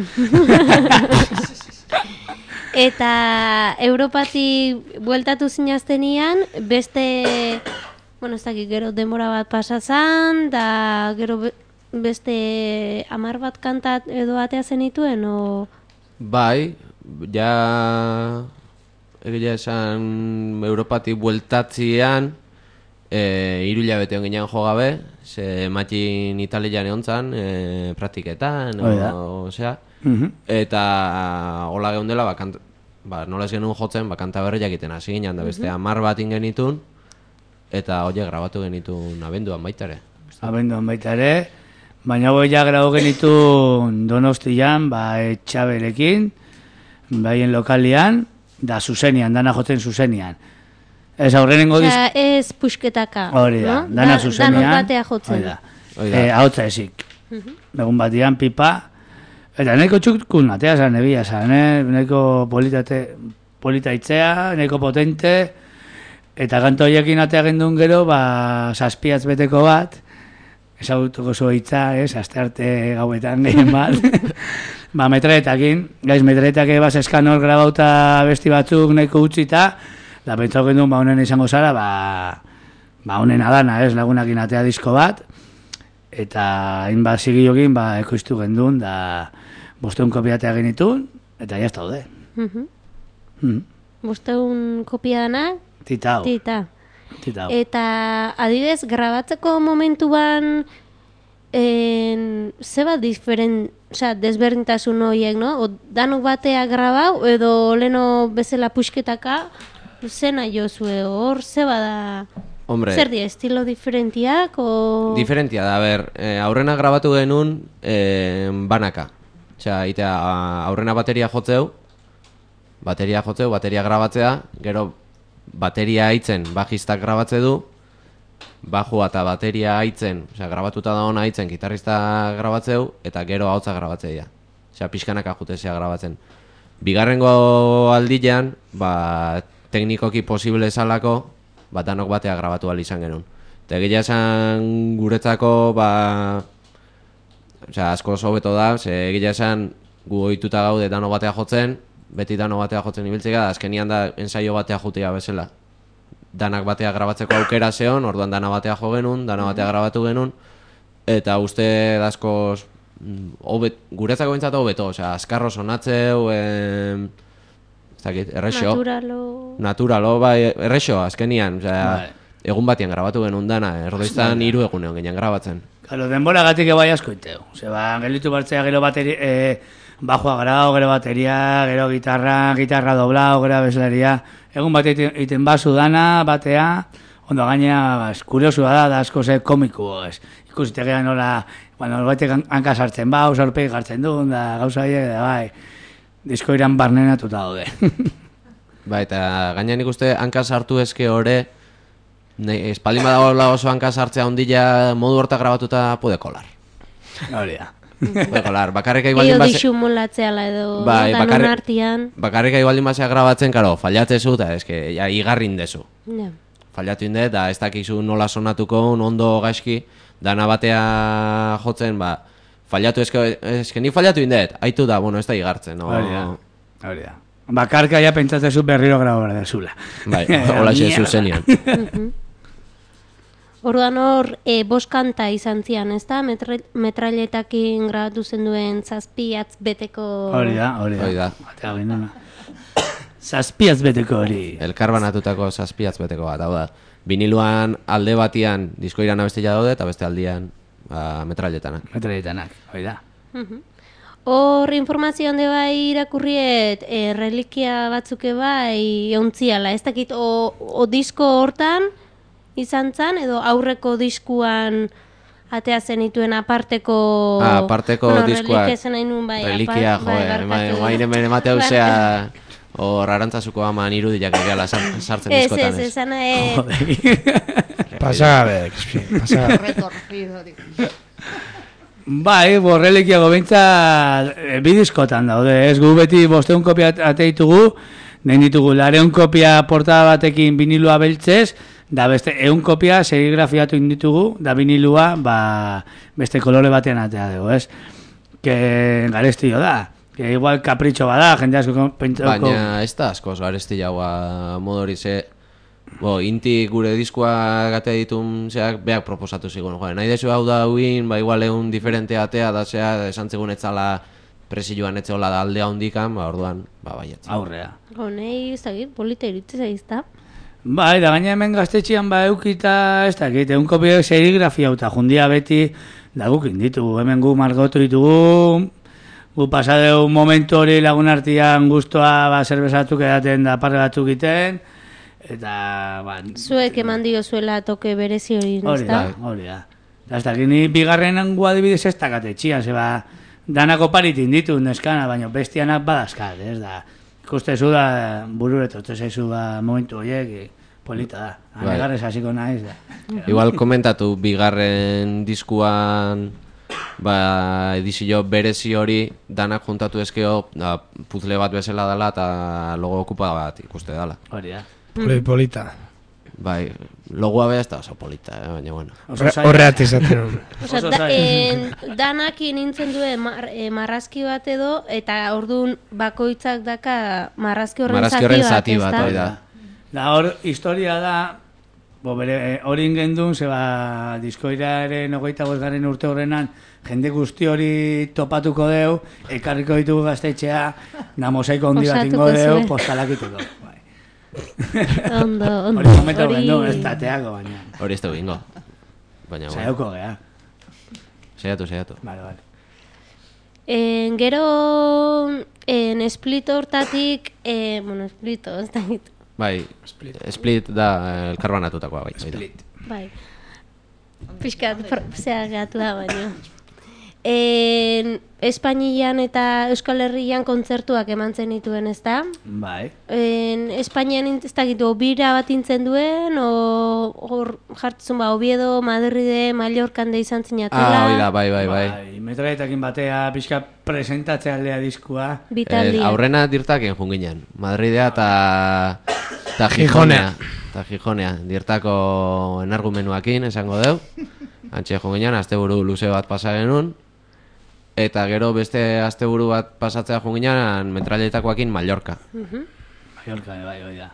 Eta Europatik bueltatu zinaztenian, beste, bueno, ez dakit, gero denbora bat pasazan, da gero be- beste amar bat kantat edo atea zenituen, o... Bai, ja egia esan Europatik bueltatzian e, hiru hilabete on ginean jo gabe, ze matin Italian egon zan, e, praktiketan, o, osea, eta hola geundela, ba, kant, ba, nola ez genuen jotzen, ba, kanta berriak egiten hasi ginen, da beste hamar bat ingenitun, eta horiek grabatu genitun abenduan baita ere. Abenduan baita ere, baina hoi ja grabo genitu Donostian, ba, Etxaberekin, baien lokalian, da zuzenian, dana jotzen zuzenian. Ez aurrenengo diz... Osea, ez pusketaka, Hori da, no? dana Da- zuzenian. Danok batea jotzen. Hori da. Hori da. Eh, ahotsa ezik. Egun batian, pipa, eta nahiko txukun atea zan, egia zan, eh? Nahiko politate, politaitzea, nahiko potente, eta kanto horiekin atea gendun gero, ba, zazpiatz beteko bat, ezagutuko zu hitza, ez, aste arte gauetan gehien bat. Ba, metraetakin, gaiz metraetak ebaz eskanor grabauta besti batzuk nahiko utzita, da pentsau gendun, ba, honen izango zara, ba, ba, honen adana, ez, lagunakin atea disko bat, eta hainbat zigiokin, ba, ekoiztu gendun, da, bosteun kopiatea genitun, eta jazta daude. Mhm. Hmm. Bosteun kopia danak, Titau, tita. titau. Eta adibidez, grabatzeko momentuan en, zeba diferent, osea, desberdintasun horiek, no? O, danok batea grabau, edo leno bezala pusketaka, zena jozue, hor zeba da... Hombre, Zer di, estilo diferentiak, o... diferentia da, a ber, e, aurrena grabatu genuen e, banaka. Osea, itea, aurrena bateria jotzeu, bateria jotzeu, bateria grabatzea, gero bateria haitzen bajistak grabatze du, bajua eta bateria haitzen, osea, grabatuta da ona haitzen, gitarrista grabatzeu, eta gero ahotsa grabatzea. Osea, pixkanaka jutezea grabatzen. Bigarrengo aldian, ba, teknikoki posible esalako, ba, danok batea grabatu ahal izan genuen. Eta egia esan guretzako, ba, osea, asko oso hobeto da, ze egia esan gu ohituta gaude dano batea jotzen, beti dano batea jotzen ibiltzea, da azkenian da ensaio batea jutea bezala. Danak batea grabatzeko aukera zeon, orduan dana batea jo genuen, dana batea grabatu genuen, eta uste dazkoz, hobet, guretzako bintzat hobeto, osea, askarro sonatzeu, em, ez dakit, errexo. Naturalo... Naturalo, bai, errexo, azkenian, osea, Bai. egun batien grabatu genuen dana, erdoiztan hiru egunean ginen grabatzen. Claro, denbora gatik ebai asko iteu. Zeba, gelitu bartzea gero bateri, eh, bajua grau, gero bateria, gero gitarra, gitarra doblau, gero bezlaria. Egun bat iten, iten basu dana, batea, ondo gaina, ez, kuriosua da, da asko ze komiku, ez. Ikusitegean nola, bueno, baitek hanka sartzen bau, sorpegi jartzen du, da gauza horiek, da bai, disko iran barnenatuta daude. Ba, eta gaina nik uste hanka sartu eske ore, espaldin badagoela oso hanka sartzea ondila modu horta grabatuta puede kolar. Hori da. Puede kolar, bakarrik Edo igualdin base... dixumulatzeala edo Bai, danon bakarrik- artian. Bakarrik igualdin basea grabatzen, karo, fallatzezu, eta eske, ja, igarrin dezu. Ja. Fallatu indet, da ez dakizu nola sonatuko, ondo gaizki, dana batea jotzen, ba, fallatu eske, eske ni fallatu indet, haitu da, bueno, ez da igartzen, no? Hori da. Hori da. Bakarka ja pentsatzezu berriro grabo behar dezula. Bai, hola xe zuzenian. Orduan hor, e, bost kanta izan zian, ez da? Metra- metrailetakin grabatu zen duen zazpiatz beteko... Hori da, hori da. Hori da. Batea ginuna. Zazpiaz beteko hori. Elkarbanatutako zazpiatz beteko bat, hau da. Biniluan alde batian diskoiran abestia daude, eta beste aldian ba, metrailetanak. Metrailetanak, hori da. Hor informazio hande bai irakurriet e, relikia batzuke bai euntziala, ez dakit, o, o disko hortan izan zan, edo aurreko diskuan atea zenituen aparteko... Ah, aparteko bueno, diskoak. relikia zen nahi nun bai. Relikia, apar, bai, joe, barkatu. guain hemen emate hauzea, hor arantzazuko aman irudiak egiala sartzen Ez, diskotan ez, ez. esan nahi... Pasagabe, pasagabe. Retorcido, Bai, borrelikiago beintza e, bidizkotan daude, ez gu beti bosteun kopia ateitugu, nahi ditugu lareun kopia portada batekin vinilua beltzez, da beste eun kopia serigrafiatu inditugu, da vinilua ba, beste kolore batean atea dugu, ez? Que garestio da, que igual kapritxo bada, jende asko pentsauko... Baina ez da askoz garesti jaua modori ze... Bo, inti gure diskoa gatea ditun zeak beak proposatu zigun. Joa, nahi dezu hau da huin, ba igual egun diferente atea da zea, esan zegoen etzala presioan etzeola da aldea hondikan, ba orduan, ba baietz. Aurrea. Honei, ez dakit, polita iritze zaizta. Bai, da gaina hemen gaztetxian ba eukita, ez dakit, egun kopia serigrafia uta, jundia beti da gukin ditugu, hemen gu margotu ditugu, gu pasadeu momentu hori lagun artian guztua ba zerbezatu edaten da parre batzuk iten, eta... Ba, Zuek eman dio zuela toke berezi hori, hori ezta? da, hori da. Eta ez dakit, ni bigarren angu adibidez ez dakate txian, zeba danako paritin ditu neskana, baina bestianak badazkat, ez da. Ikustezu da burureto, zaizu ba momentu horiek, polita da. Bai. Anegarrez hasiko naiz da. Igual komentatu bigarren diskuan ba edizio berezi hori danak juntatu ezkeo da, puzle bat bezala dela eta logo okupa bat ikuste dela. Hori da. Poli polita. Bai, logoa bea ez da oso polita, eh? Baina bueno. Horreat izaten. Osea, Oso da, zaila. en, danak nintzen duen mar, e, marrazki bat edo, eta orduan bakoitzak daka marrazki horren Marrazki zati horren bat, zati bat, ezta? hori da. Da hor, historia da, bo bere, hori ingendun, zeba diskoiraren ogeita bosgarren urte horrenan, jende guzti hori topatuko deu, ekarriko ditugu gaztetxea, da mosaiko handi bat Osatuko ingo deu, zuen. postalakituko. Bai. Ondo, ondo. Hori momentu Hori- gendu, ez tateako, baina. Hori ez dugu ingo. Baina bueno, Saiauko gea. saiatu, saiatu. Vale, vale. En, gero, en split hortatik, eh, bueno, split, ez da gitu. Bai, split da eh, elkarbanatutakoa bai. Split. Bai. Piskat, zea gatu da baino. En, Espainian eta Euskal Herrian kontzertuak eman zenituen, ez da? Bai. En, Espainian ez da gitu, bira bat intzen duen, o hor jartzen ba, Oviedo, Madride, Mallorcan de izan zinatela. Ah, hori da, bai, bai, bai. Bai, metraetakin batea pixka presentatzea aldea diskua. Bitaldia. Eh, aurrena dirtaken junginen. Madridea eta eta Gijonea. Gijonea. Eta Gijonea. Dirtako enargumenuakin esango deu. Antxe junginen, asteburu luze bat pasa genuen. Eta gero beste asteburu bat pasatzea junginen metraletakoakin Mallorca. Mallorca, bai, bai da.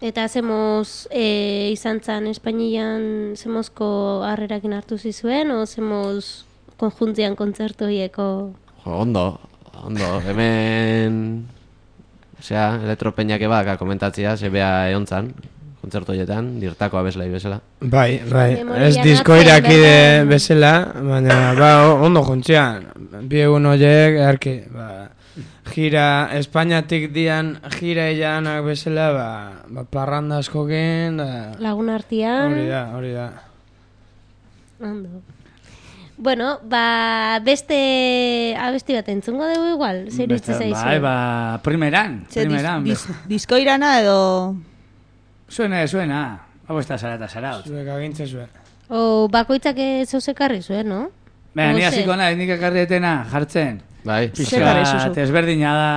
Eta zemoz e, izan zan Espainian zemozko harrerakin hartu zizuen, o zemoz konjuntzian kontzertu hieko... Jo, ondo, ondo. Hemen... Osea, elektropeñak ebaka komentatzia, zebea egon zan, kontzertu horietan, dirtako abeslai bezala. Bai, bai, Memoria ez natzen, disko irakide bertan. bezala, baina ba, o- ondo jontzian, bi egun horiek, erki, ba, gira, Espainiatik dian gira eianak bezala, ba, ba parranda askokin, da, Lagun artean. hori da, hori da. Ondo. Bueno, ba, beste abesti bat entzungo dugu igual, zer iritzi Beste- zaizu. Bai, ba, primeran, Ze, dis, primeran. dis, diskoirana edo... Suena, suena. Hau ez da zara eta zara. Zuek agintze zuen. O bakoitzak ez ekarri zuen, no? Baina, ni Oze. hasiko nahi, nik ekarrietena jartzen. Bai, Zer ekarri Pixka, zuzu? ezberdina da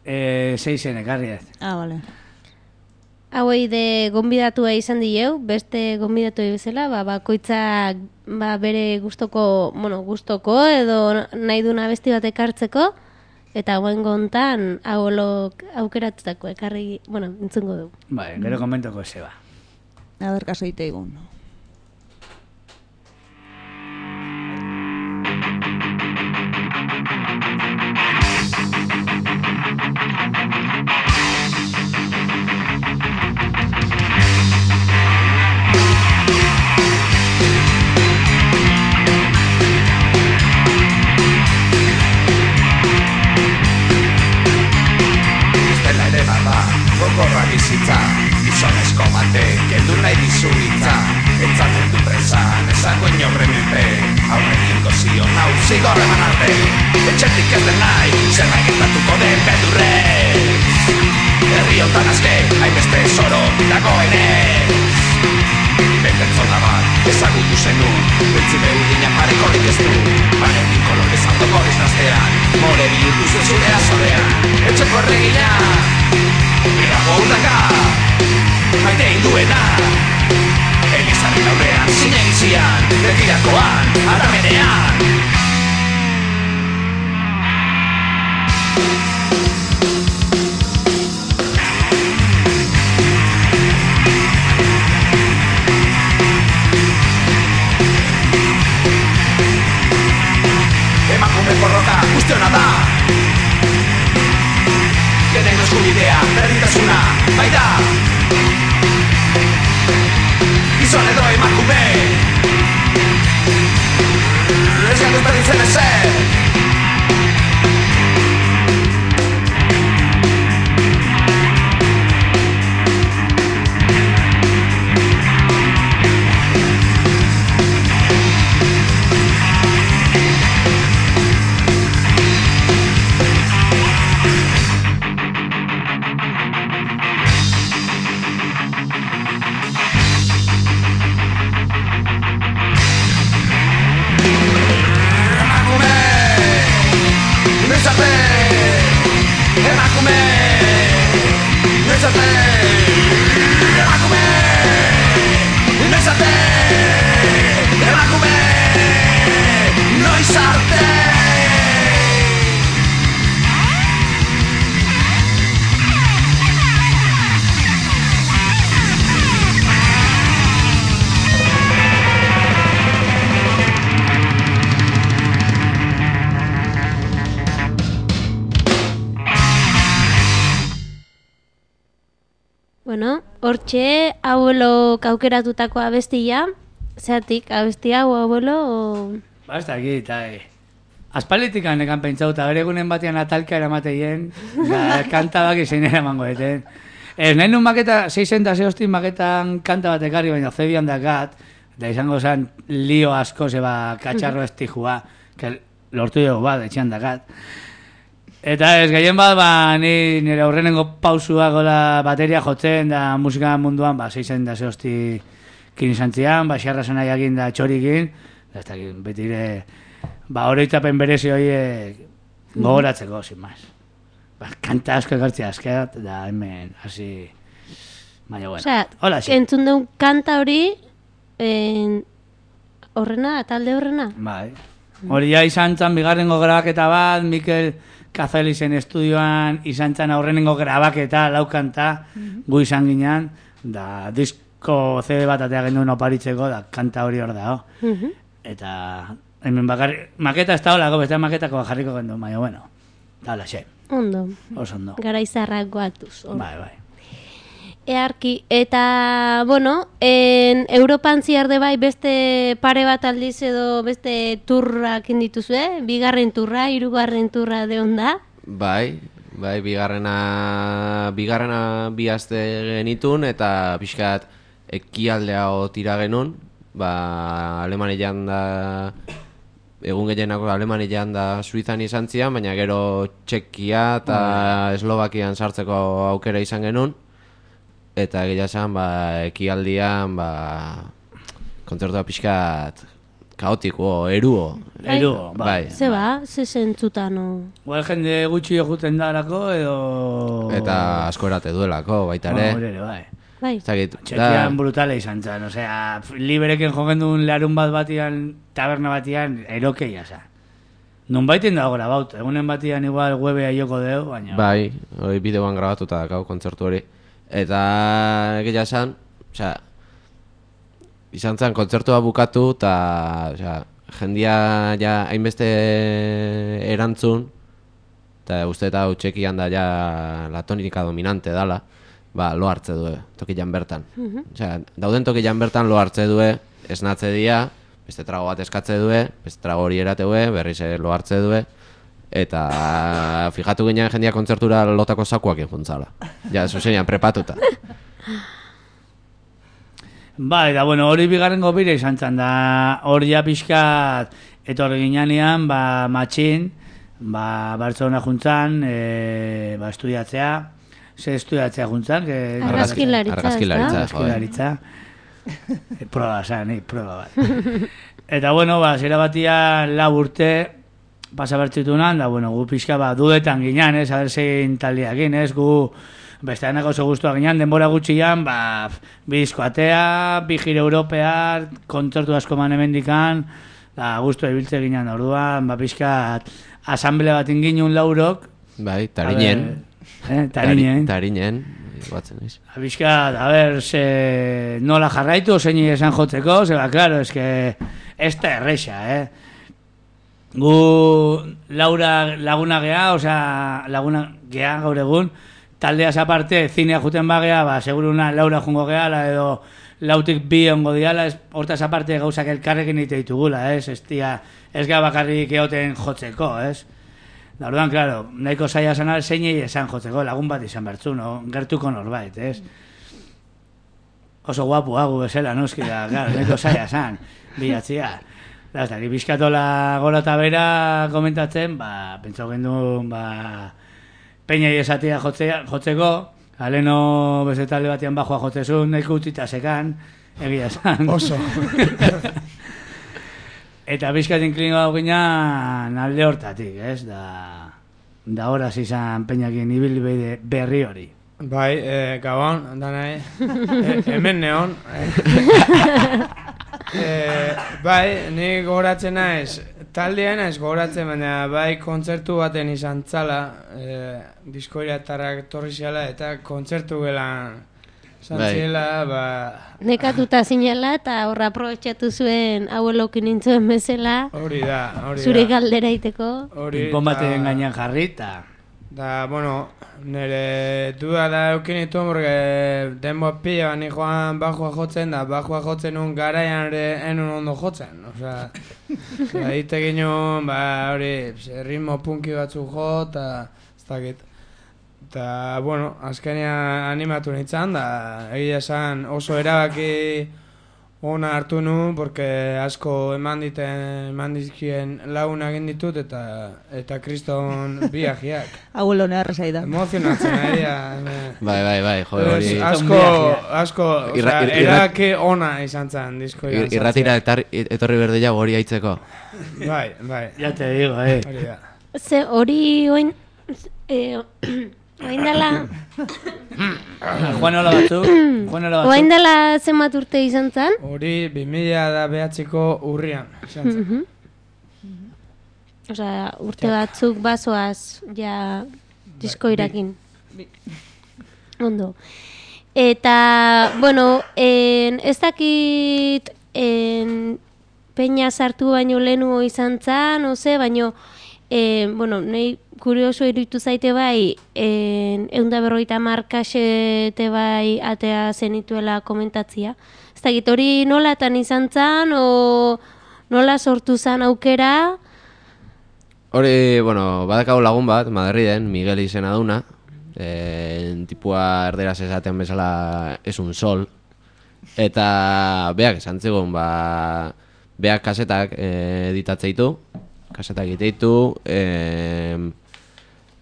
eh, seizen ekarriet. Ah, vale. Hauei de gonbidatua izan dieu, beste gonbidatu bezala, ba, bakoitzak ba, bere gustoko, bueno, gustoko edo nahi duna abesti bat ekartzeko, eta hauen gontan hauolok aukeratutako ekarri, bueno, entzungo du. Bai, gero komentoko zeba. A ber, kaso ite igun. esan, esango inorren menpe aurrekin gozion hau zigorreman arte etxetik ez den nahi, zerbait gertatuko den beldurrez herriotan azke, hainbeste zoro dagoenez Bententzona bat, ezagutu zenun Bentzi behudinak parekorik ez du Banekin kolorez aldoko iznaztean More bihurtu zen zure azorean Etxeko erregina Erago urdaka Maite induena Elizaren aurrean zinegizian Betirakoan, aramenean Porrota, guztiona da Genen eskubidea, berdintasuna, bai da Gizon edo emakume Ez ganduz berdintzen ezer Bueno, hortxe, abuelo kaukeratutako abestia, zeatik, abestia hau abuelo... Ba, ez da, eta eh. Aspalitikan nekan pentsau, eta bere egunen batean atalka eramateien, da, kanta bak izan eramango eten. Ez, nahi nun maketa, seizen da zehostin maketan kanta bat ekarri, baina zebian dakat, da izango zen lio asko zeba katxarro estijua, que lortu dugu bat, etxean dakat. Eta ez, gehien bat, ba, ni nire aurrenengo pausua gola bateria jotzen, da musika munduan, ba, seizen da zehozti kin izan zian, ba, xarra zena jakin da txorikin, da ez da, betire, ba, oroitapen berezi horiek gogoratzeko, sin más. Ba, kanta asko ekartzea azkeat, da hemen, hasi, baina, bueno. Osea, hola, sí. Entzun dugu kanta hori, en... horrena, talde horrena? Bai. Hori ja izan zan bigarrengo grabaketa bat, Mikel Kazelisen estudioan izan zan aurrenengo grabaketa, laukanta, gu izan ginean, da disko C D bat atea genduen oparitzeko, da kanta hori hor da, oh. Eta hemen bakarri, maketa ez da holako, beste maketako jarriko genduen, baina, bueno, da hola, xe. Ondo. Oso ondo. Garaizarrak goatuz. Bai, bai. Earki, eta, bueno, en Europan ziarde bai beste pare bat aldiz edo beste turrak indituzue, bigarren turra, hirugarren turra de onda? Bai, bai, bigarrena, bigarrena bi aste genitun eta pixkat ekialdea tira genuen, ba, Alemanian da, egun gehienako Alemanian da Suizan izan zian, baina gero Txekia eta Eslovakian sartzeko aukera izan genuen. Eta egia esan, ba, ekialdian, ba, kontzertua pixkat kaotiko, eruo. Eruo, bai. Ze ba, ze zentzutan, o? Gual jende gutxi juten darako, edo... Eta asko erate duelako, baita ere. Bueno, ere, bai. Bai. Txekian brutale izan zen, osea, libereken jogen duen larun bat batian, taberna batian, erokeia, oza. Nun baiten dago grabaut, egunen batian igual webea joko deu, baina... Bai, hori bideoan grabatuta dakau, kontzertu hori. Eta egia esan, osea, izan zen kontzertua bukatu, eta osea, jendia ja hainbeste erantzun, eta uste eta hau Txekian da ja la tonika dominante dala, ba, lo hartze due, tokilan bertan. Osea, dauden tokilan bertan lo hartze due, esnatze dia, beste trago bat eskatze due, beste trago hori erate due, berriz lo hartze due, eta fijatu ginean jendia kontzertura lotako sakuak injuntzala. Ja, zuzenean prepatuta. Bai, da, bueno, hori bigarrengo bire izan zan, da, hori ja pixkat, etorri ginean, ba, matxin, ba, Bartzelona juntzan, e, ba, estudiatzea, ze estudiatzea juntzan, que... Argazkilaritza, Argazkilaritza, Argazkilaritza. Proba, zan, eh, proba bat. Eta, bueno, ba, zera batia lau urte, pasa bertzitunan, da, bueno, gu pixka, ba, dudetan ginean, ez, haber zein taldiakin, ez, gu... Besteanak oso guztua ginean, denbora gutxian, ba, bi diskoatea, bi giro europea, kontzertu asko man emendikan, da, guztua ibiltze ginean, orduan, ba, pixka, asamble bat inginun laurok. Bai, tarinen. Eh, tarinen. Tarinen, batzen ez. Pixka, a ber, ze, nola jarraitu, zein esan jotzeko, zeba, claro, es que, ez da erreixa, eh. Gu Laura laguna gea, osea, laguna gea gaur egun, taldeaz aparte, zinea juten bagea, ba, seguruna Laura jungo gehala, edo lautik bi ongo diala, ez, hortaz aparte gauzak elkarrekin ite ditugula, ez, ez tia, ez gara bakarrik eoten jotzeko, ez. Da, orduan, claro, nahiko zaila zan zeinei esan jotzeko, lagun bat izan bertzu, no? Gertuko norbait, ez. Oso guapu hagu bezala, noski, da, claro, nahiko zaila zan, bilatzia. Da, ez da, bizkatola gora eta bera komentatzen, ba, pentsau gendun, ba, peinei esatia jotzea, jotzeko, aleno bezetale batean bajoa jotzezun, nahiko utita sekan, egia esan. Oso. Eta bizkat inklino hau ginean alde hortatik, ez? Da, da horaz izan peinakin ibilbide berri hori. Bai, eh, gabon, danai, eh, hemen neon. Eh, bai, ni gogoratzen naiz, taldean naiz gogoratzen, baina bai kontzertu baten izan txala, eh, diskoiratarrak torri ziala, eta kontzertu gelan izan Bai. ziela, ba... Nekatuta zinela eta horra aprobetxatu zuen hauelokin nintzuen bezala, Hori da, hori zure da. galdera iteko. Hori, Pinpon baten eta- gainean jarri, eta... Da, bueno, nire duda da eukin ditu, porque denbo pila bani joan bajua jotzen, da bajua jotzen un garaian ere enun ondo jotzen. Osea, egite ginen, ba, hori, ritmo punki batzu jo, eta ez dakit. Eta, bueno, azkenean animatu nintzen, da, egia esan oso erabaki ona hartu nu, porque asko eman diten, eman dizkien lagun egin ditut, eta eta kriston biagiak. Hau lone arrezai da. Emozionatzen ari da. Bai, bai, bai, jo, hori... Ez, asko, asko, Irra- osea, ir- irra- erabaki ona izan zen disko Ir- Irratira etar- etorri berdela hori aitzeko. Bai, bai, Ya te digo, eh. hori da. Ze hori oin... Eh, oin dela... Juan Ola batzuk, Juan Ola Oain batzuk. dela zenbat urte izan zan? Hori bi mila da behatziko urrian. izan zen. Osea, urte batzuk bazoaz, ja, diskoirakin. Ondo. Eta, bueno, en, ez dakit en, peña sartu baino lehenu izan zan, oze, baino, en, bueno, nahi kurioso iruditu zaite bai, en, eunda berroita markasete bai atea zenituela komentatzia. Ez dakit, hori nolatan izan zan, o nola sortu zan aukera? Hori, bueno, badakago lagun bat, Madriden, Miguel izena duna. Eh, tipua erderaz esaten bezala es un sol. Eta beak esan zigun, ba, beak kasetak eh, editatzeitu, kasetak egiteitu, eh,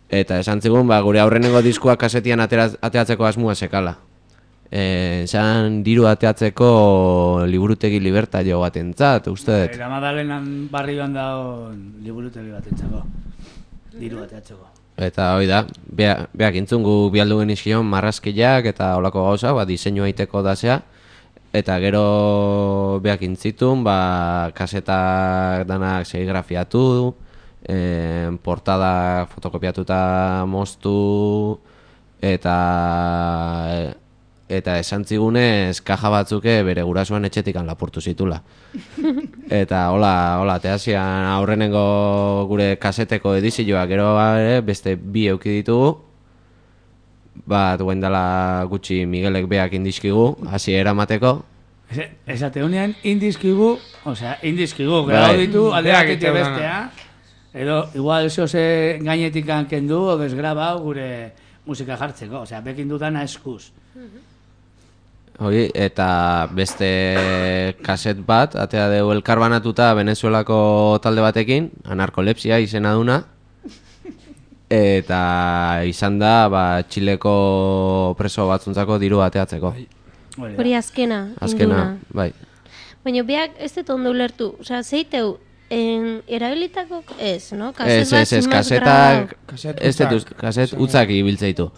eta esan zigun, ba, gure aurrenengo diskuak kasetian atera, ateratzeko asmua sekala. Eh, esan diru ateatzeko liburutegi liberta jo batentzat, uste dut. Era Madalenan barrioan dao liburutegi bat entzako. Diru bateatzeko. Eta hoi da, bea, beak intzungu bialdu genizkion marrazkiak eta olako gauza, ba, diseinua iteko dasea. Eta gero beak intzitun, ba, kasetak danak serigrafiatu, eh, portada fotokopiatuta moztu, eta... Eta esan zigunez kaja batzuke bere gurasoan etxetikan lapurtu zitula. Eta hola, hola, teazian aurrenengo gure kaseteko edizioa gero ere beste bi euki ditugu. Bat guen dela gutxi Miguelek beak indizkigu, hasi eramateko. Esate honean indizkigu, osea, indizkigu, Bai. grabatu ditu alde Beak batetik egiten bestea. Edo, igual eso ze gainetikan kendu, o desgrabau gure musika jartzeko, osea, bekin dudana eskuz. Hoi, eta beste kaset bat, atea dugu elkarbanatuta Venezuelako talde batekin, Anarkolepsia izena duna, eta izan da ba, Txileko preso batzuntzako diru ateatzeko. Hori azkena, Azkena, induna. bai. Baina biak ez dut ondo ulertu, osea, zeiteu, en, erabilitako ez, no? Ez, ez, ez, kasetak, ez dut, kaset utzak ibiltzeitu.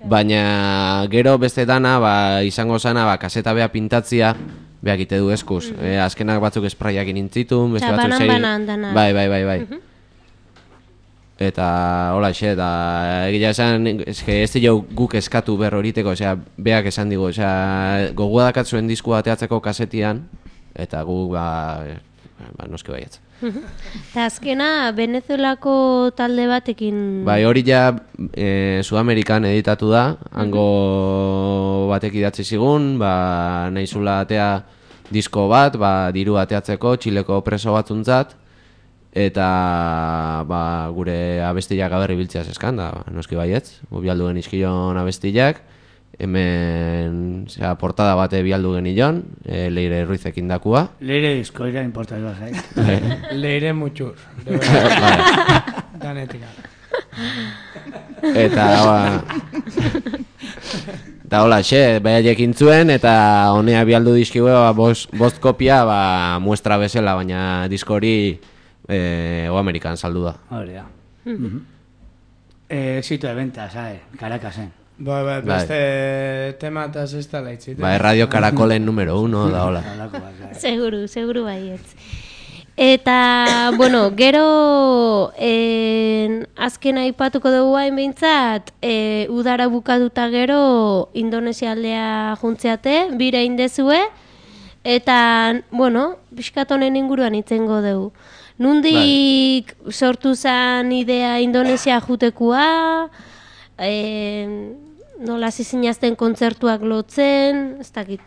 Baina gero beste dana, ba, izango zana, ba, kaseta bea pintatzia, beak ite du eskuz. Mm -hmm. e, azkenak batzuk espraiak inintzitun, beste batzuk banan, zei... banan, dana. Bai, bai, bai, bai. Mm -hmm. Eta, hola, xe, eta egia esan, eske ez dio guk eskatu berro horiteko, osea, beak esan digu, osea, gogoa dakatzuen disku bateatzeko kasetian, eta guk, ba, ba noski baietz. Eta azkena, Venezuelako talde batekin... Bai, hori ja e, Sudamerikan editatu da, hango batek idatzi zigun, ba, nahizula atea disko bat, ba, diru ateatzeko, Txileko preso batzuntzat, eta ba, gure abestiak aberri biltzeaz eskan, da, ba, noski baietz, bialdu genizkion abestiak, hemen zera, portada bate bialdu genion, e, Leire Ruizekin dakua. Leire diskoira importatua zait. Leire mutxur. Danetik. Eta, ba... Eta hola, xe, behaiek intzuen, eta honea bialdu dizkigu, ba, bost, bost kopia, ba, muestra bezala, baina disko hori eh, o Amerikan saldu da. Hori da. Exito de venta, sabe, Caracasen. Ba, ba, beste temataz ez da laitzit. Ba, Radio Karakolen numero uno, da hola. Seguru, seguru baietz. Eta, bueno, gero en, azken aipatuko dugu hain behintzat, e, udara bukatuta gero Indonesia aldea juntzeate, bire indezue, eta, bueno, pixkatonen inguruan itzengo dugu. Nundik bai. Sortu zen idea Indonesia jutekua, e, nola zizinazten kontzertuak lotzen, ez dakit.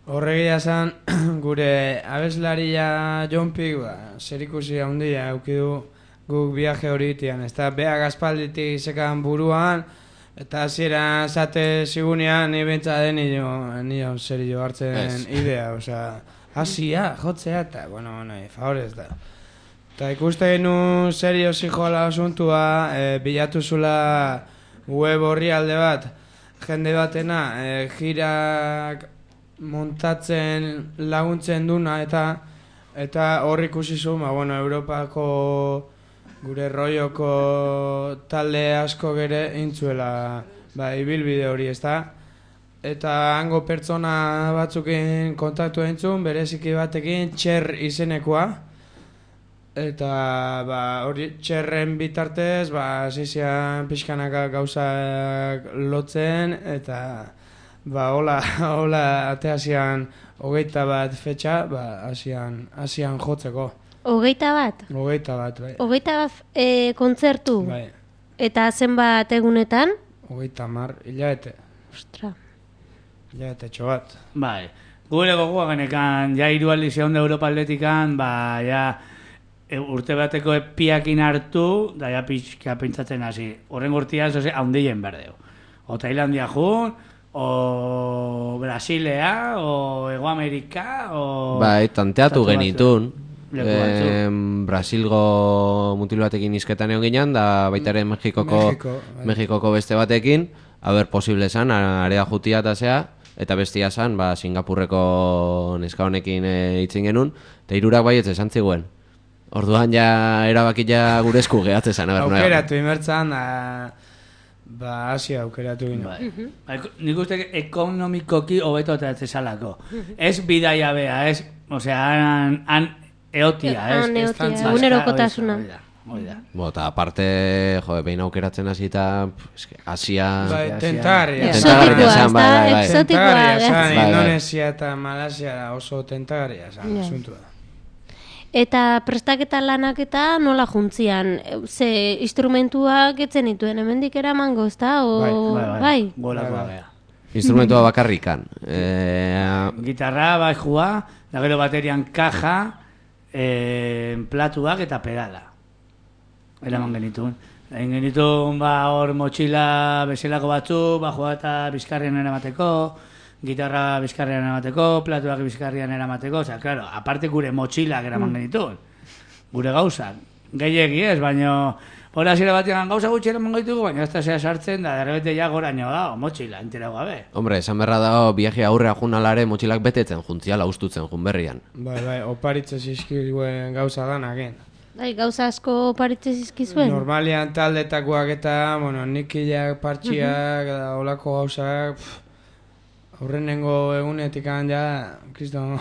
Horregia zen, gure abeslaria Jonpik, ba, zer ikusi handia eukidu guk viaje horitian. Ez da, beha gazpalditik sekan buruan, eta hasiera zate zigunean, ni bentsa den nio, nio serio hartzen es. Idea, osea, hasia, jotzea, eta, bueno, bueno, favorez da. Eta ikuste genu serio zijoala asuntua, e, bilatu zula web horri alde bat, jende batena, e, jirak montatzen laguntzen duna, eta eta hor ikusi zuen, ba, bueno, Europako gure roioko talde asko gere intzuela ba, ibilbide hori, ezta? Eta hango pertsona batzukin kontaktu entzun, bereziki batekin txer izenekoa, eta ba, hori txerren bitartez, ba, zizian pixkanaka gauzak lotzen, eta ba, hola, hola, ateazian hogeita bat fetxa, ba, asian, asian jotzeko. Hogeita bat? Hogeita bat, bai. Hogeita bat e, kontzertu? Bai. Eta zenbat egunetan? Hogeita mar, hilabete. Ostra. Hilabete txo bat. Bai, gure gogoa genekan, ja hiru aldiz egon da Europa atletikan, ba, ja, e, urte bateko epiakin hartu, da ja pixka pentsatzen hasi. Horren gurtian, zoze, haundien berdeu. O Tailandia jun, o Brasilea, o Ego Amerika, o... Bai, tanteatu genitun. Eh, Brasilgo mutil batekin izketan egon ginen, da baita ere Mexikoko, Mexiko, bai. Mexikoko beste batekin, haber posible zan, area jutia eta zea, eta bestia zan, ba, Singapurreko neska honekin e, itzen genuen, eta hirurak baietz esan ziguen. Orduan ja erabakila gure esku gehatzen zan. Aukeratu imertzan, da... Ba, Asia aukeratu gino. Bai. Ba, nik uste ekonomikoki hobeto eta salako. Ez bidaia bea, ez, osea, han, han eotia, ez. Han eotia, unerokotasuna. Bo, eta aparte, jode, behin aukeratzen hasi eta Asia... Bai, tentagarria. Exotikoa, ez da, exotikoa. Indonesia eta Malasia oso tentagarria esan, asuntua. Eta prestaketa lanak eta nola juntzian? Ze instrumentuak etzen dituen, hemendik eramango, ez da? Bai, bai, bai. Golakoa bea. Instrumentua bakarrikan. E... Gitarra, bai jua, da gero baterian kaja, e, platuak eta pedala. Eraman genituen. Egin genituen, ba, hor motxila bezalako batzu, ba, jua eta bizkarrien eramateko, gitarra bizkarrian eramateko, platuak bizkarrian eramateko, osea, claro, aparte gure motxilak eraman genituen, gure gauzak, gehiegi ez, baina hori hasiera batean gauza gutxi eraman gaitugu, baina ez da zea sartzen, da derbete ja goraino da, motxila, entera gabe. Hombre, esan berra dago, biaje aurrea junalare motxilak betetzen juntziala ustutzen jun berrian. Bai, bai, oparitze zizkiruen gauza danagen. Bai, gauza asko paritze zizkizuen. Normalian taldetakoak eta, bueno, nikilak, partxiak, uh -huh. olako gauzak, pff, aurrenengo egunetik ja, kriston,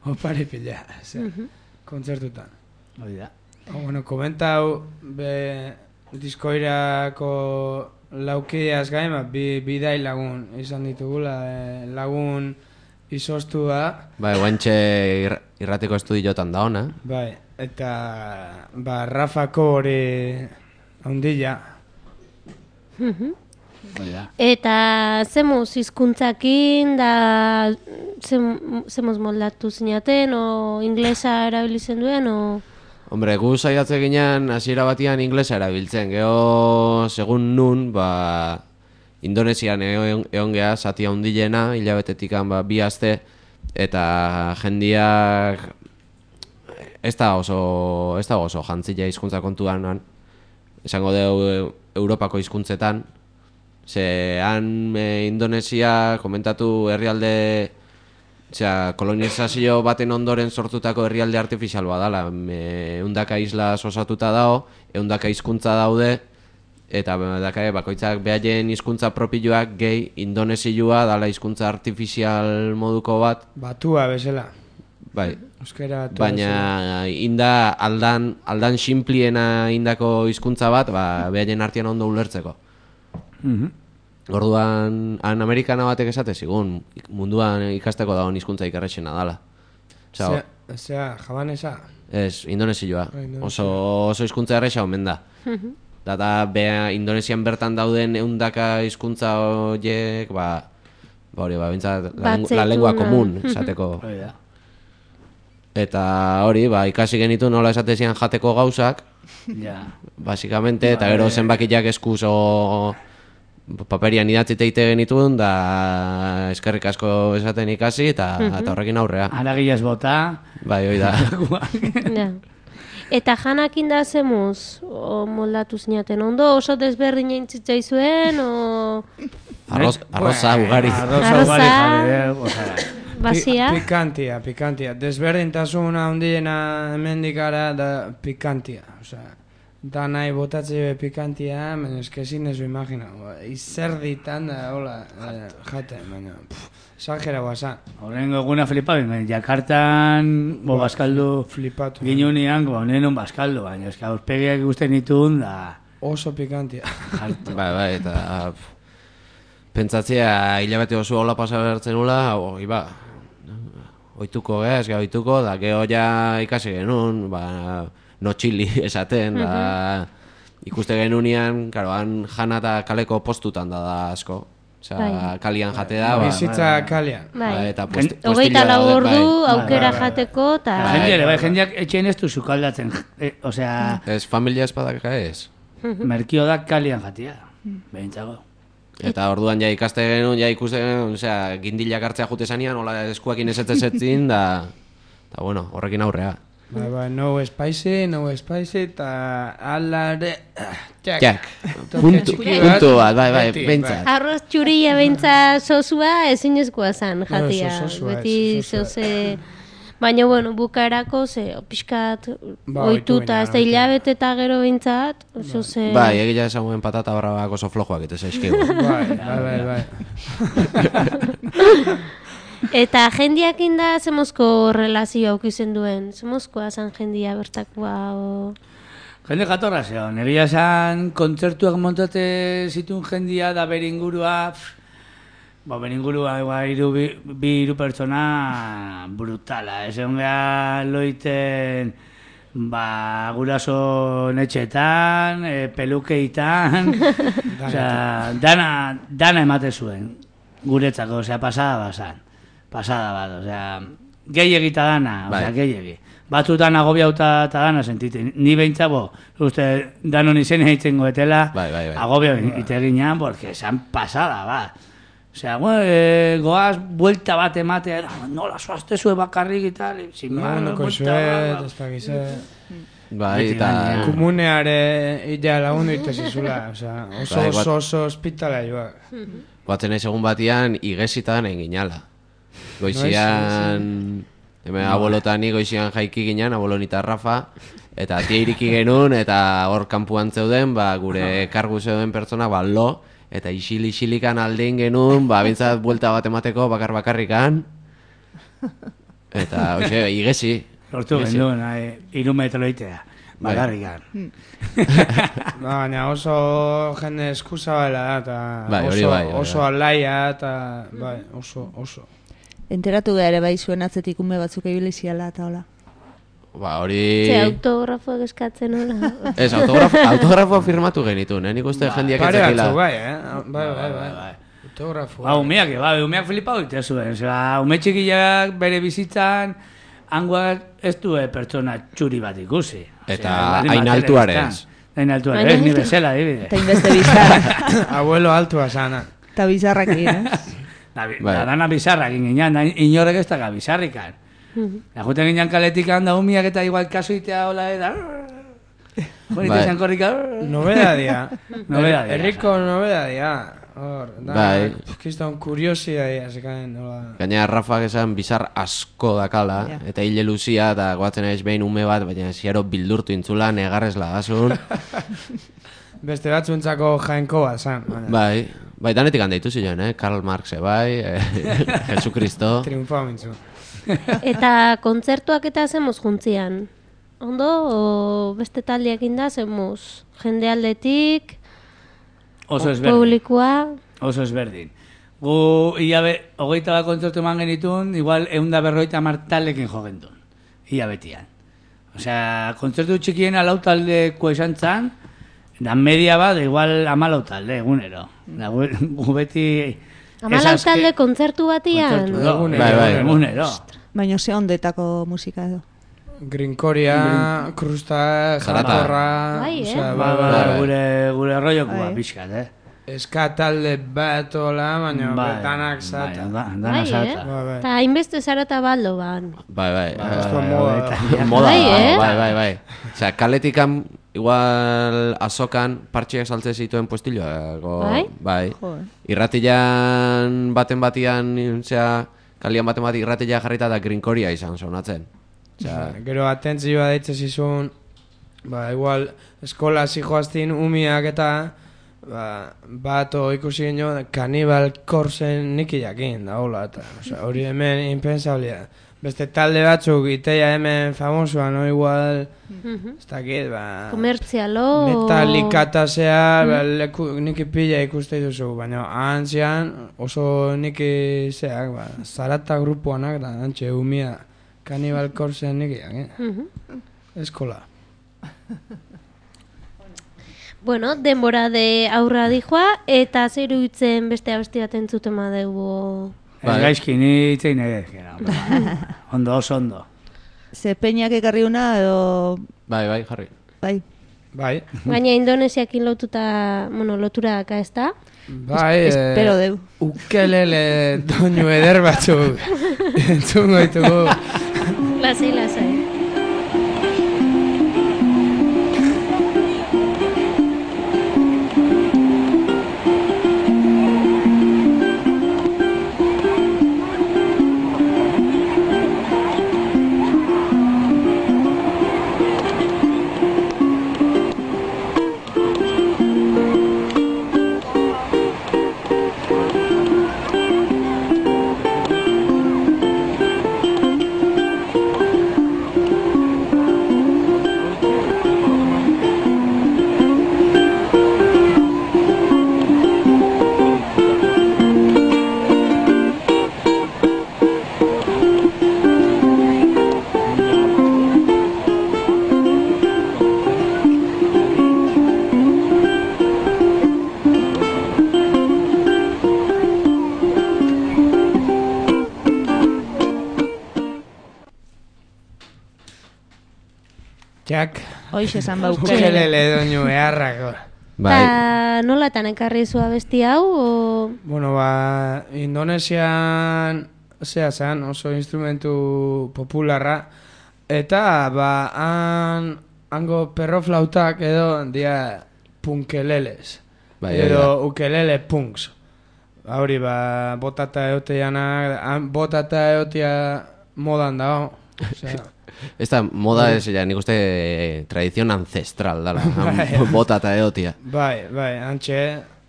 opari pila, uh -huh. kontzertutan. Hori da. Oh, bueno, komentau, be, diskoirako laukideaz gain, ba, bi, bidai lagun izan ditugula, e, lagun izostua. Bai, guantxe ir, irratiko estudiotan da ona. Bai, eta, ba, Rafako hori haundila. Eta zemuz hizkuntzakin da zem, zemuz moldatu zinaten, o inglesa erabilizen duen, o... Hombre, gu saiatze ginen hasiera batian inglesa erabiltzen, geho, segun nun, ba, Indonesian egon, egon geha, zati handilena, hilabetetikan ba, bi aste, eta jendiak ez da oso, ez da oso jantzila hizkuntza kontuan, esango dugu Europako hizkuntzetan, ze han e, Indonesia komentatu herrialde, osea, kolonizazio baten ondoren sortutako herrialde artifizial badala, eundaka isla osatuta dago, eundaka hizkuntza daude, eta daka, bakoitzak behaien hizkuntza propioak gehi Indonesioa dala hizkuntza artifizial moduko bat. Batua bezala. Bai. Euskera batua baina bezala. Inda aldan, aldan simpliena indako hizkuntza bat, ba, behaien artean ondo ulertzeko. Mhm. Orduan, han Amerikana batek esate zigun, munduan ikasteko dagoen hizkuntza ikerrexena dala. Osea, osea, jabanesa? Ez, Indonesioa. Indonesia. Oso, oso hizkuntza erresa omen da. Data, bea, Indonesian bertan dauden eundaka hizkuntza horiek, ba, ba hori, ba, bintzat, la, la lengua komun, esateko. Eta hori, ba, ikasi genitu nola esatezian jateko gauzak, ja. Basikamente, eta gero zenbakiak eskuz o paperian idatzi teite genituen, da eskerrik asko esaten ikasi, eta, uh-huh. eta horrekin aurrea. Aragiaz bota. Bai, hoi da. Ja. Eta janakin da zemuz, o moldatu zinaten ondo, oso desberdin eintzitza zuen, o... Arroz, arroza ugari. Arroza ugari jale, basia. Pikantia, pikantia. Desberdintasuna handiena hemendikara da pikantia, osea... Da nahi botatze pikantia, baina eske ezin ezu imagina. Izerditan da, hola, jaten, baina, exagera guazan. Horrengo eguna flipatu, Jakartan, bo, baskaldu flipatu. Ginunean, honen baskaldu, baina eske aurpegiak ikusten ditun, da... Oso pikantia. Bai, bai, eta... Pentsatzea hilabete oso hola pasa bertzen nula, hoi ba... Oituko gez, geha oituko, da geho ja ikasi genuen, ba... No txili esaten, da, ikuste genunean, karo, han jana eta kaleko postutan da da asko. Osea, bai. Kalian jate da. Ba, bizitza kalian. Bai. Eta posti, hogeita lau ordu aukera jateko, eta... Jendeare, bai, jendeak etxean ez du zukaldatzen, e, osea... Ez familia espadaka ez. Merkio da kalian jatia, behintzago. Eta orduan ja ikaste genuen, ja ikuste genuen, osea, gindilak hartzea jute zanean, hola eskuakin ezetzezetzin, da, da, bueno, horrekin aurrea. Bai, bai, no spicy, no spicy, eta alare... Jack. Puntu, puntu bat, bai, bai, bentsat. Arroz txuria bentsat sosua ezin ezkoa zan, jatia. Beti zoze... Baina, bueno, bukaerako, ze, pixkat, oituta, ez da hilabete eta gero bentsat, zoze... Bai, egila esan patata barrabak oso flojoak, eta zaizkigu. Bai, bai, bai, bai. Eta jendiak inda zemozko relazio aukizen duen? Zemozkoa zan jendia bertakoa? O... Jende jatorra zeon, egia esan kontzertuak montate zituen jendia da beringurua, ba, beringurua ba, iru, bi, bi iru pertsona brutala, ez egon geha loiten ba, guraso netxetan, e, pelukeitan, osea, dana, dana emate zuen guretzako, osea, pasada basan. Pasada bat, osea, gehi egita dana, osea, gehi egi. Batzutan agobiauta eta dana sentiten. Ni behintzabo, uste, danon izen eitzen goetela, bai, bai, bai. agobia ite ginean, porque esan pasada bat. Osea, bueno, e, goaz buelta bat ematea, nola zoazte zue bakarrik eta, sin No, más, no koizuet, ez dakize. Bai, eta... Komuneare illa lagundu itezizula, osea, oso Bai, oso bat- oso ospitala joa. Guatzen ez egun batian, igesitan egin ginala. Goizian... Hemen abolotan ni goizian jaiki ginen, abolonita Rafa, eta atia iriki genuen, eta hor kanpuan zeuden, ba, gure kargu zeuden pertsona, ba, lo, eta isil-isilikan aldein genuen, ba, bintzat buelta bat emateko bakar-bakarrikan, eta, hoxe, igesi. Lortu igesi. genduen, iru metro itea, Bai. bakarrikan. Baina oso jende eskuzabela da, eta Bai, hori oso, bai, hori oso bai. alaia, eta bai, oso, oso. Enteratu gara ere bai zuen atzetik ume batzuk ibili ziala eta hola. Ba, hori... Ze autografoak eskatzen hola. Ez, autografo, autografoa firmatu genitu, eh? Nik uste jendiak Pare etzakila. batzu bai, eh? Bai, bai, bai. Autografo. Ba, umeak, ba, umeak flipau ite zuen. Osea, ume txikiak bere bizitzan, hangoak ez du pertsona txuri bat ikusi. Eta baldin hain bat altuare telebistan. ez. Hain altuare Hain ez, ni altu- bezala, adibide. Eta inbeste bizarra. Abuelo altua sana. Eta bizarrak egin, ez? Da, bi- Bai. da dana bizarrak ginean, da inorek ez daga bizarrikan. Da, juten ginean kaletikan da umiak eta igual kasu itea hola eda. Jonite Bai. izan korrika. Nobedadia. Nobedadia. Herriko nobedadia. Hor, da, Bai. Kiston kuriosia, zekaen, nola. Gaina Rafak esan bizar asko dakala, Ja. eta hile luzia, eta goatzen ez behin ume bat, baina ziaro bildurtu intzula, negarrez lagasun. Beste batzuntzako jaenko bat, zan. baina Bai, bai, danetik handeitu ziren, eh? Karl Marx, bai, eh, Jesucristo. Triunfau mintzu. Eta kontzertuak eta zemuz juntzian? Ondo, o beste taldeak inda zemuz? Jende aldetik, Oso ezberdin. publikoa... Oso ezberdin. Gu, hilabe, hogeita bat kontzertu eman genitun, igual eunda berroita martalekin jo gendun. Hilabetian. Osea, kontzertu txikiena lau taldeko esan zan, da media bat, igual amalau talde, egunero. Da, gu, gu beti... Amalau esazke- talde kontzertu batian? Kontzertu, no, Egunero, Bai, bai. egunero. Baina ze ondetako musika edo. Grinkoria, krusta, Zarata. jatorra, Bai, eh? osea, Ba, bai, ba, bai, bai. gure, gure rollokoa Bai. pixkat, eh? Eska talde bat ola, baina danak zata. Bai, da- dana Bai, eh? zata. Bai, bai. Eta hainbeste zarata baldo ban. Bai, bai, Bai, eh, Esto bai, moda. bai, moda, Bai, eh? bai, bai, bai. Osea, kaletikan, igual azokan partxiak saltze zituen puestilloak. o- Bai? Bai. Joder. Irratian, baten batian, osea, kalian baten bat irratia jarrita da grinkoria izan sonatzen. Osea, Gero atentzioa deitze zizun, ba, igual, eskola zijoaztin umiak eta, ba, bat o ikusi gino, kanibal korsen niki jakin, da hola, eta, osea, hori hemen impensablia. Beste talde batzuk, iteia hemen famosua, no, igual, ez dakit, ba... Komertzialo... o- Metallica eta zea, ba, leku, niki pila ikuste duzu, baina antzian oso niki zeak, ba, zarata grupuanak da, antxe, umia, Cannibal Corpse nikiak, eh? Mhm. Eskola. Bueno, denbora de aurra dijoa, eta zer iruditzen beste abesti bat entzuten badegu... Ez Bai. gaizki, ni itzein ere. Ondo, oso ondo. Ze peñak ekarri una edo... bai, bai, jarri. Bai. Bai, Gaina Indonesiakin lotuta, bueno, lotura aka ez da? bai, Espero eh, deu. ukelele doinu eder batzuk entzungo ditugu. Lasai, lasai. Jak, Hoiz esan ba ukele. ukelele doinu beharrako. Bai. Ta nolatan ekarri zu abesti hau, o... Bueno, ba, Indonesian, zea zen, oso instrumentu popularra, eta, ba, han, hango perroflautak edo, dia, punkeleles, Bai, edo bai, bai. ukelele punks. Hori, ba, botata eoteanak, han botata eotea modan dago, osea... Esta moda es ya, nik uste eh, tradición ancestral dala, han botata eotia. Bai, bai, antxe,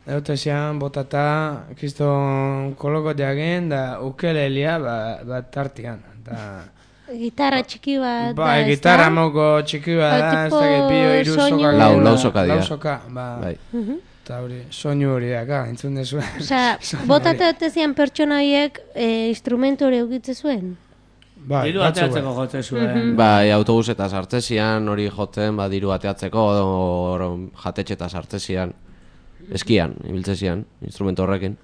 eutezian botata, kriston koloko jagen, da ukelelia, ba, ba tartian. Da, Gitarra txiki bat da, bai, ezta? gitarra moko txiki bat da, ez tipo dakit bio iru soinu- soka. Lau, dira, lau soka dira. Lau soka, ba, Bai. eta hori, soinu hori daka, entzun dezu. Osea, botata etezian pertsona horiek e, instrumentu hori eukitze zuen? Bai, Diru batzu ateatzeko bai. jote zuen. Bai, autobusetaz sartzezian, hori jotzen, ba, diru ateatzeko, hor jatetxetaz sartzezian, eskian, ibiltzezian, instrumento horrekin.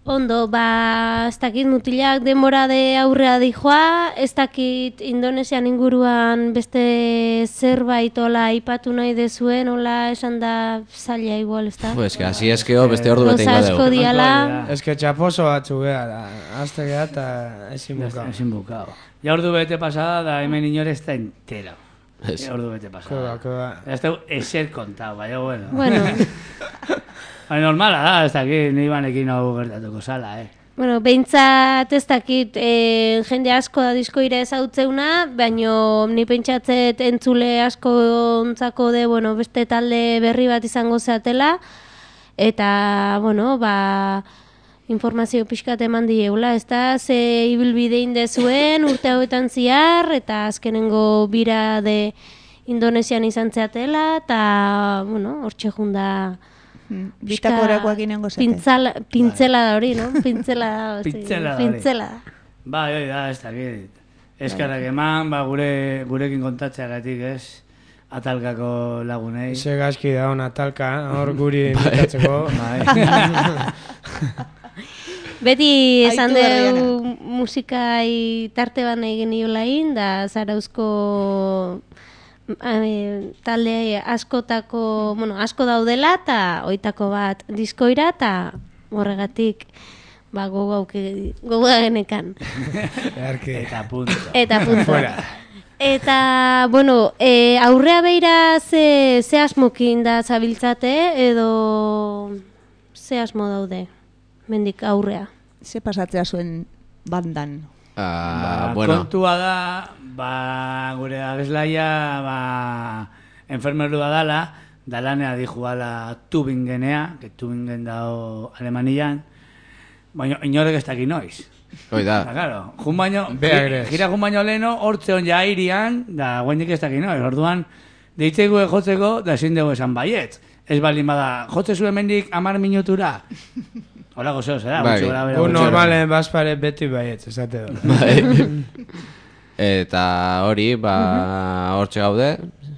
Ondo, ba, ez dakit mutilak denbora de aurrea dijoa, ez dakit Indonesian inguruan beste zerbait ola aipatu nahi dezuen, ola esan da zaila igual, ez da? Pues que así es que beste ordu bete Gauza ingo asko dugu. diala, Ez que txaposo batzu geha, da, azte geha eta ezin buka. Ezin bukao. Ja ordu bete pasada da hemen inor ez da entero. Ez. Ja ordu bete Koba, pasada. koba. Ez da eser kontau, baina bueno. bueno, Baina normala da, ez dakit, ni banekin hau gertatuko zala, eh. bueno, behintzat ez dakit e, jende asko da diskoire ezautzeuna, baino ni pentsatzet entzule asko ontzako de, bueno, beste talde berri bat izango zeatela, eta, bueno, ba, informazio pixkat eman dieula, ez da, ze ibilbide indezuen urte hauetan ziar, eta azkenengo bira de Indonesian izan zeatela, eta, bueno, hortxe junda... Bitakorakoak inengo zate. Pintzala, pintzela da hori, no? Pintzela da. sí, Pintzela da hori. Pintzela da. Bai, hori da, ez dakit. Eskarrak eman, ba, gure, gurekin kontatzeagatik, ez? Atalkako lagunei. Ze gaizki da hona talka, hor guri invitatzeko. Bai. Beti esan Aitu deu musikai tarte bat nahi geniolain, da Zarauzko eh, talde askotako, bueno, asko daudela, eta oitako bat diskoira, eta horregatik, ba, gogo gogoa genekan. Erki. Eta punto. Eta punto. Fuera. Eta, bueno, e, aurrea beira ze, ze asmokin da zabiltzate, edo ze asmo daude, mendik aurrea. Ze pasatzea zuen bandan. Ah, Ba, bueno, kontua da, ba, gure abeslaia, ba, enfermerua dala, dalanea dijuala Tübingenea, que Tübingen dao Alemanian, baina inorek ez daki noiz. hoi Da, da. claro, jun baino, Beagrez. gira jun baino leheno, hortze hon ja irian, da guendik ez daki noiz, orduan, deitzeko jotzeko, da ezin dugu esan baiet. Ez baldin bada, jotze zu hemendik amar minutura. Hola, gozeo, zera, Bai. gutxi gora bera, Un gutxi gora. normalen bazpare beti baietz, esate du. Bai. Eta hori, ba, hortxe gaude,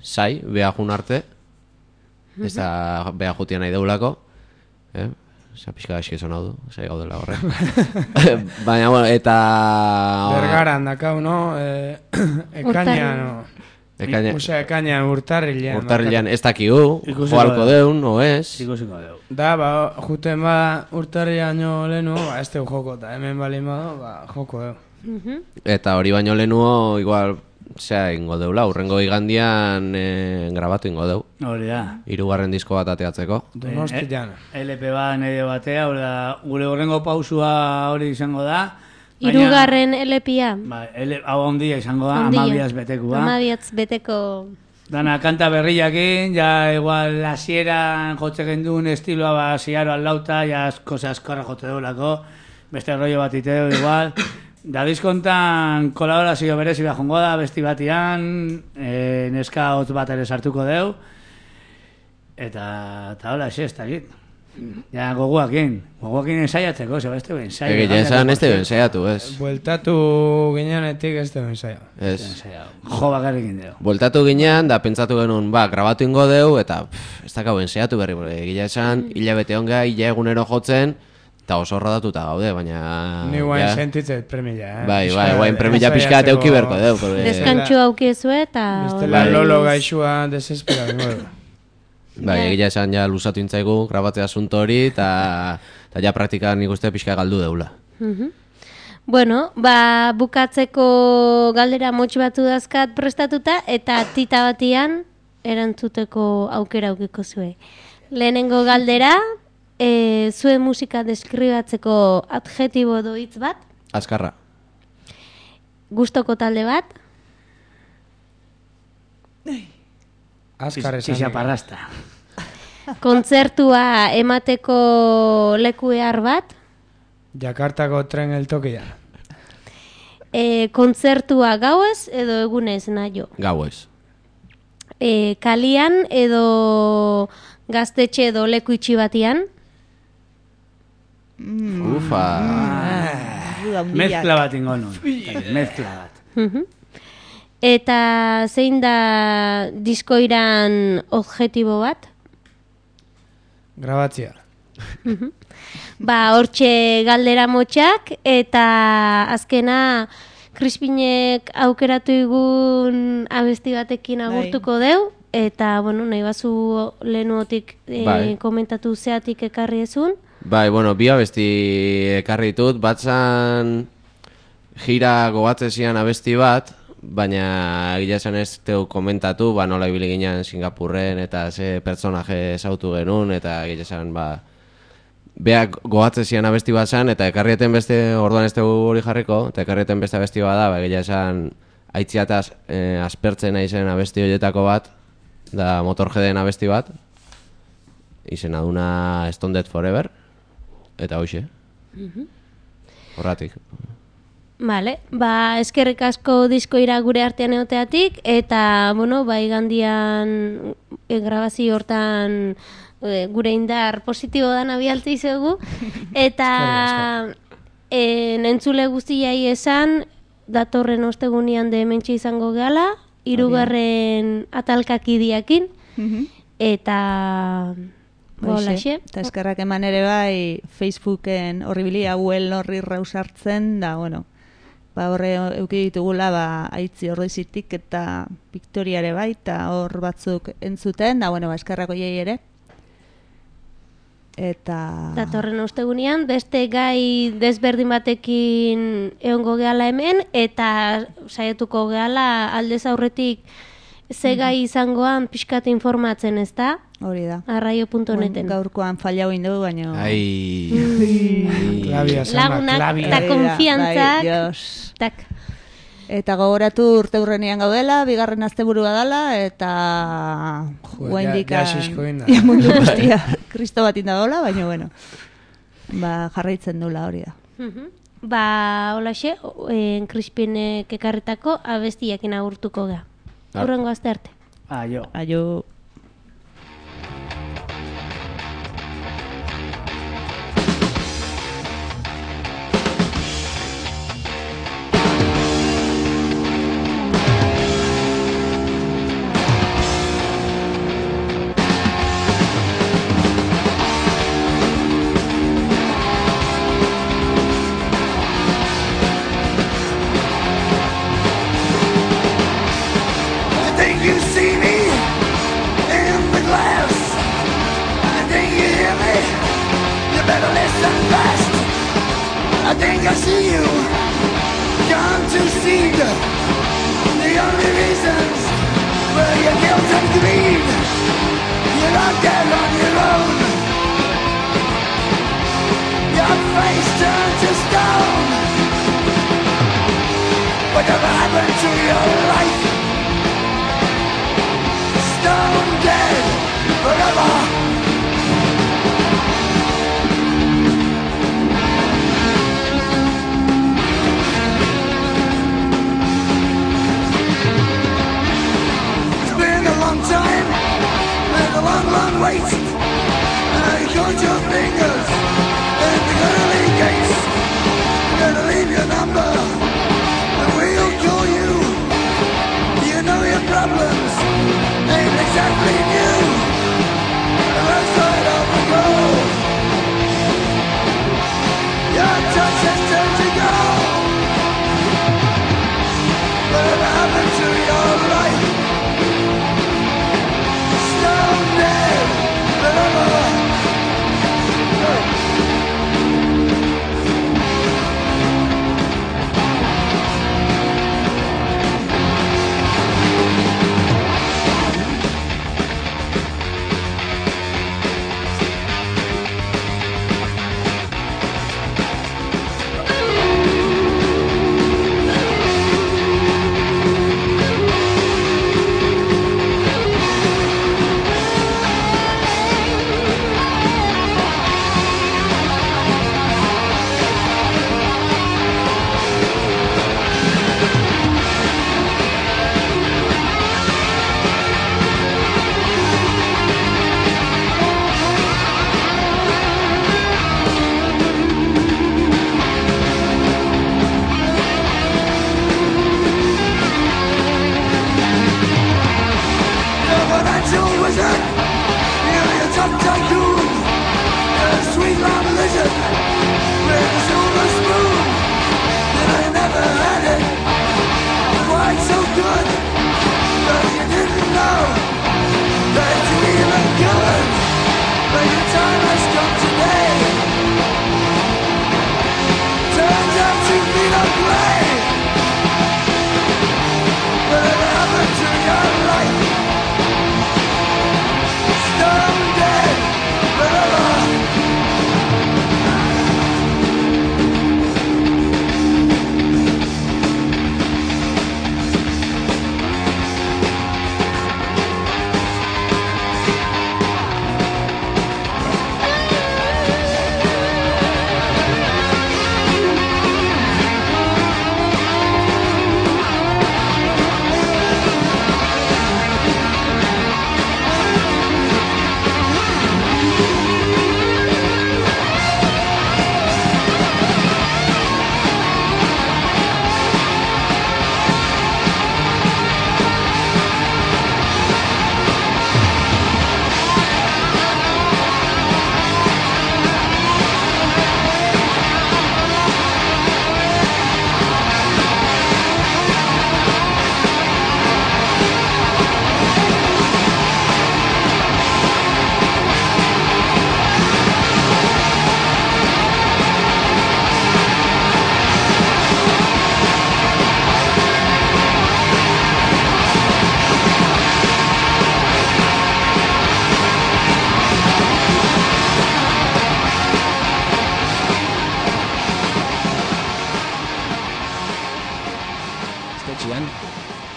zai, beha jun arte. Ez da beha jutia nahi deulako. Eh? Osa, pixka eski esan hau du, zai gaudela horre. Baina, bueno, eta... Bergaran dakau, no? Eh, ekaina, no? Ekaina, Osea, ekaina urtarrilean. urtarrilean ez dakigu, Ikusiko joalko da. deun, o ez. Ikusiko dugu. Da, ba, juten ba, urtarrilean jo lehenu, ba, ez teu joko, eta hemen balin bado, ba, joko du. Eta hori baino lehenuo, igual, zea ingo deula, urrengo igandian e, grabatu ingo deu. Hori da. Hirugarren disko bat ateatzeko. Donostian. L P bat nire batea, hori da, gure horrengo pausua hori izango da. baina- Hirugarren L P-a. Ba, L- hau ondia izango da, Handia. amabiaz betekua. Amabiatz beteko... Dana kanta berriakin, ja igual hasieran jotze gendun estiloa ba ziaro alauta, ja asko ze askorra jote deulako, beste rollo bat iteo igual. Da diskontan kolaborazio berezi bat jongo da, besti batian, e, neska hotz bat ere sartuko deu, eta, eta hola, xe, ez dakit. Ja, goguakin, goguakin ensaiatzeko, ze beste ben ensaiatu. Egia esan ez teben saiatu, ez. Bueltatu gineanetik ez teben saio. Ez. Jo bakarrikin deu. Bueltatu ginean, da pentsatu genuen, ba, grabatu ingo deu, eta pff, ez dakauen saiatu berri. Egia esan, hilabete onga, hila egunero jotzen, eta oso rodatuta gaude, baina... Ni guain ja, sentitzet premia, eh? bai, bai, guain premia pixkat euki berko deu. Deskantxu aukiezu eta... Bestela lolo gaixua desespera, bingo. Bai, egia esan ja luzatu intzaigu, grabatzea asunto hori, eta ja praktikan nik uste pixka galdu deula. Bueno, ba, bukatzeko galdera motx batu dazkat prestatuta, eta tita batian erantzuteko aukera aukiko zue. Lehenengo galdera, e, zuen musika deskribatzeko adjetibo doitz bat, Azkarra. gustoko talde bat, Azkar esan. Txixaparrasta. kontzertua emateko leku ehar bat, Jakartako tren eltokia. e, kontzertua gauez edo egunez naio. Gauez. E, kalian edo gaztetxe edo leku itxi batian, Ufa. Duda hundiak. Mezkla bat ingo nun. Mezkla bat. eta zein da diskoiran objektibo bat? Grabatzea. Ba, hortxe galdera motxak, eta azkena Crispinek aukeratu igun abesti batekin agurtuko deu, eta, bueno, nahi bazu lehenuotik e, Bai. komentatu zeatik ekarri ezun. Bai, bueno, bi abesti ekarri ditut, batzan gira gogatzezian abesti bat, baina egia esan ez teu komentatu, ba nola ibili ginen Singapurren eta ze pertsonaje ezautu genuen, eta egia esan, ba, beak gogatzezian abesti bat zan, eta ekarrieten beste, orduan ez tegu hori jarriko, eta ekarrieten beste abesti bat da, ba, egia esan, aitziataz eh, aspertzen nahi zen abesti horietako bat, da Motorheaden abesti bat, izena duna Stone Dead Forever, eta hoxe. Horratik. Vale, ba, eskerrik asko diskoira gure artean egoteatik, eta, bueno, ba, igandian e, grabazio hortan e, gure indar positibo dan abialtze izegu, eta e, entzule guztiai esan, datorren ostegunian de hementxe izango gehala, hirugarren atalkakidiakin, eta... Hoxe, eta eskerrak eman ere bai Facebooken horribili hauel horri rausartzen, da, bueno, ba horre euki ditugula, ba, aitzi ordoizitik eta Victoriare bai, eta hor batzuk entzuten, da, bueno, ba, eskerrako jai ere. Eta... Datorren ostegunean, beste gai desberdin batekin egongo gehala hemen, eta saietuko gehala aldez aurretik ze gai izangoan pixkat informatzen, ez da? Hori da. arraio puntu neten. Gaurkoan fallau indu, baina... Ai... Klabia zama, Lagunak klabia. eta konfiantzak. Bai, Dios. Tak. Eta gogoratu urte hurrenean gaudela, bigarren asteburua dala, eta... Jo, guaindik ja- ja xisko egin da. ja mundu guztia kristo bat indagoela, baina bueno, ba, jarraitzen dula hori da. Ba, holaxe, en Crispinek ekarretako abestiakin agurtuko ga. Hurrengo aste arte. Aio. Aio. I think you see me in the glass. I think you hear me. You better listen fast. I think I see you. Come to see the, the only reasons were your guilt and greed. You're not dead on your own. Your face turned to stone. Whatever happened to your life? Stone dead forever. It's been a long time, been a long, long wait. Uh, you count your fingers in the early gates. You're gonna leave your number, and we'll call you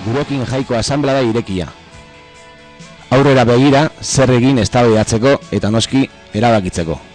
Gurokin jaiko asanblada irekia. Aurrera begira, zer egin eztabaidatzeko eta noski erabakitzeko.